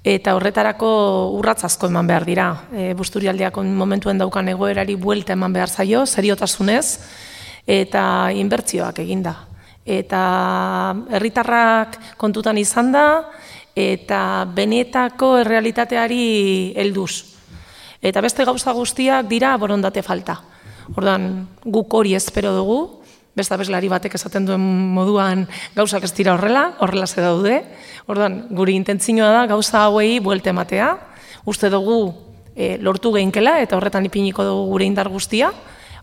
eta horretarako urratz asko eman behar dira. E, Busturialdeak momentuen daukan egoerari buelta eman behar zaio, seriotasunez, eta inbertsioak eginda. Eta herritarrak kontutan izan da, eta benetako errealitateari helduz. Eta beste gauza guztiak dira borondate falta. Ordan guk hori espero dugu, beste abeslari batek esaten duen moduan gauzak ez dira horrela, horrela ze daude. Ordan gure intentzioa da gauza hauei buelte ematea, uste dugu e, lortu geinkela eta horretan ipiniko dugu gure indar guztia.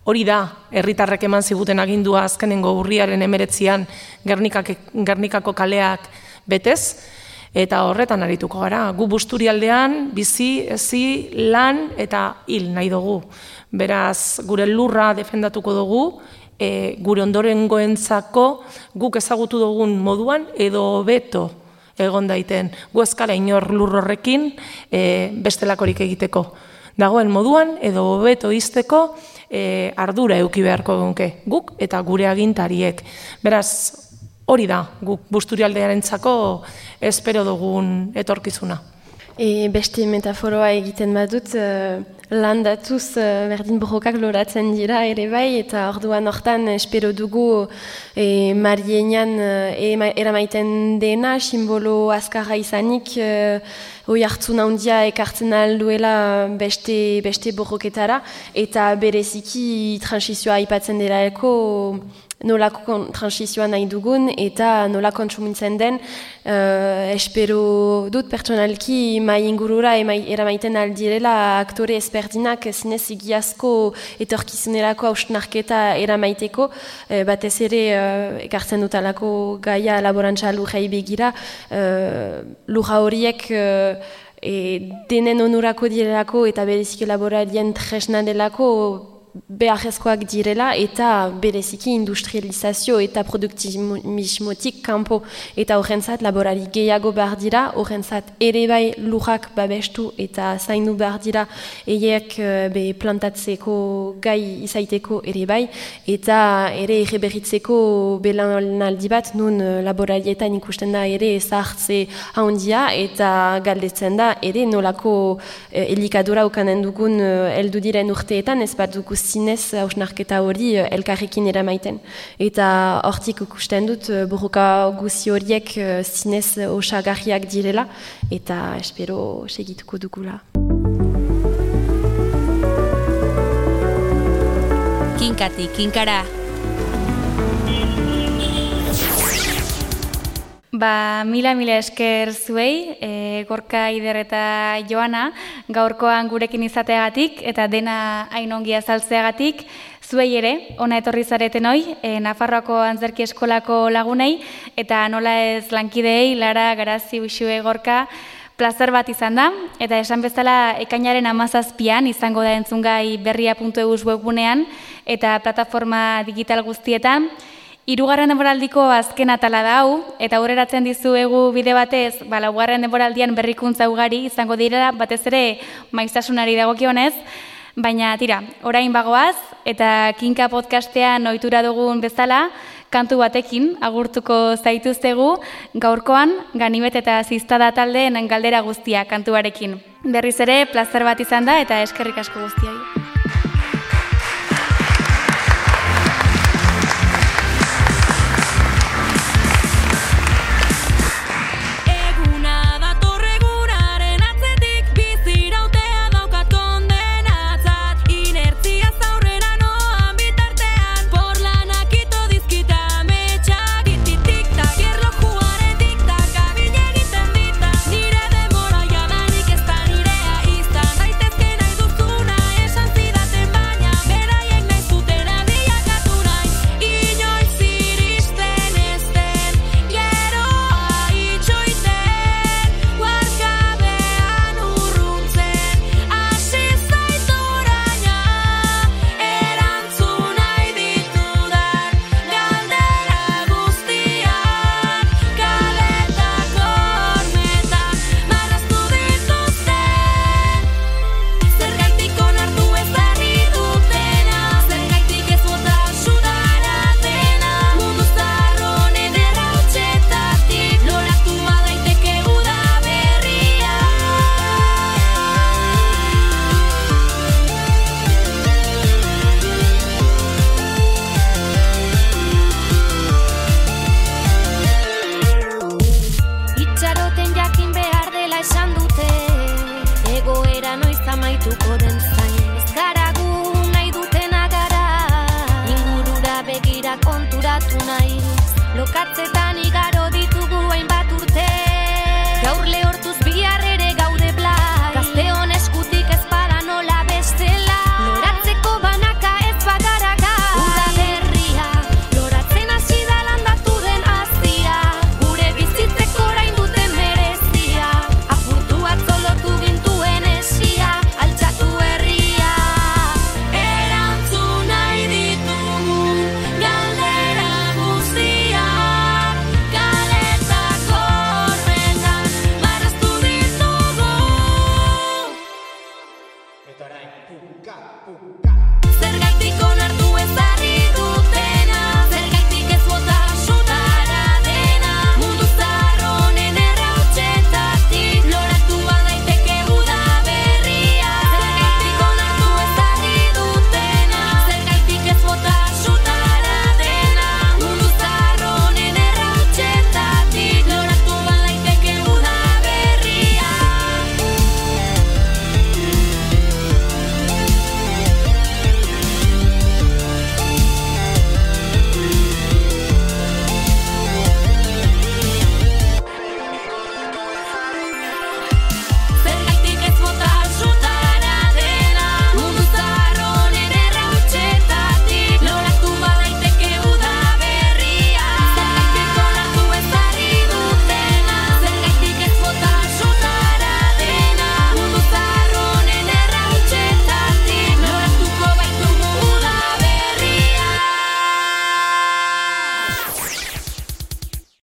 Hori da, herritarrek eman ziguten agindua azkenengo urriaren emeretzian Gernikako kaleak betez, eta horretan arituko gara. Gu Busturialdean bizi, hezi, lan eta hil nahi dugu. Beraz, gure lurra defendatuko dugu, e, gure ondorengoentzako guk ezagutu dugun moduan edo hobeto egon daiten. Gu eskara inor lur horrekin e, bestelakorik egiteko. Dagoen moduan edo hobeto izteko e, ardura eduki beharko gunke guk eta gure agintariek. Beraz, hori da, guk Busturialdearentzako espero dugun etorkizuna. E, beste metaforoa egiten badut, uh, landatuz uh, berdin borrokak loratzen dira ere bai, eta orduan hortan espero dugu e, Marienian uh, eramaiten dena, simbolo azkarra izanik, uh, hoi hartzun handia ekartzen alduela beste, beste borroketara, eta bereziki transizioa aipatzen dela eko, nolako transizioa nahi dugun eta nola kontsumintzen den, uh, espero dut pertsonalki mai ingurura eramaiten aldirela aktore ezberdinak zinez egiazko etorkizunerako hausnarketa eramaiteko, uh, batez ere uh, ekartzen dut alako gaia laborantza lurrei begira, uh, lurra horiek uh, e, denen onurako direlako eta berezik laborarien tresna delako beharrezkoak direla eta bereziki industrializazio eta produktivismotik kanpo eta horrentzat laborari gehiago behar dira, horrentzat ere bai lurrak babestu eta zaindu behar dira eiek be plantatzeko gai izaiteko ere bai eta ere erreberritzeko belanaldi bat nun laborarietan ikusten da ere zahartze handia eta galdetzen da ere nolako eh, elikadura ukanen dugun heldu diren urteetan ez bat dugu zinez hausnarketa hori elkarrekin eramaiten. Eta hortik ikusten dut borroka guzi horiek zinez osagarriak direla eta espero segituko dugula. Kinkati, kinkara. Ba, mila mila esker zuei, e, Gorka, Ider eta Joana, gaurkoan gurekin izateagatik eta dena hain ongi azaltzeagatik, zuei ere, ona etorri zareten hoi, e, Nafarroako Antzerki Eskolako lagunei, eta nola ez lankideei, Lara, Garazi, Uxue, Gorka, plazer bat izan da, eta esan bezala ekainaren hamazazpian izango da entzungai berria puntu eus webgunean, eta plataforma digital guztietan, Hirugarren denboraldiko azken atala da hau, eta aurreratzen dizuegu bide batez, ba, laugarren denboraldian berrikuntza ugari izango direla, batez ere maiztasunari dagokionez, baina tira, orain bagoaz, eta Kinka podcastean ohitura dugun bezala, kantu batekin agurtuko zaituztegu, gaurkoan Ganimet eta Ziztada taldeen galdera guztia kantuarekin. Berriz ere, plazer bat izan da eta eskerrik asko guztioi. Egoera noiz amaituko den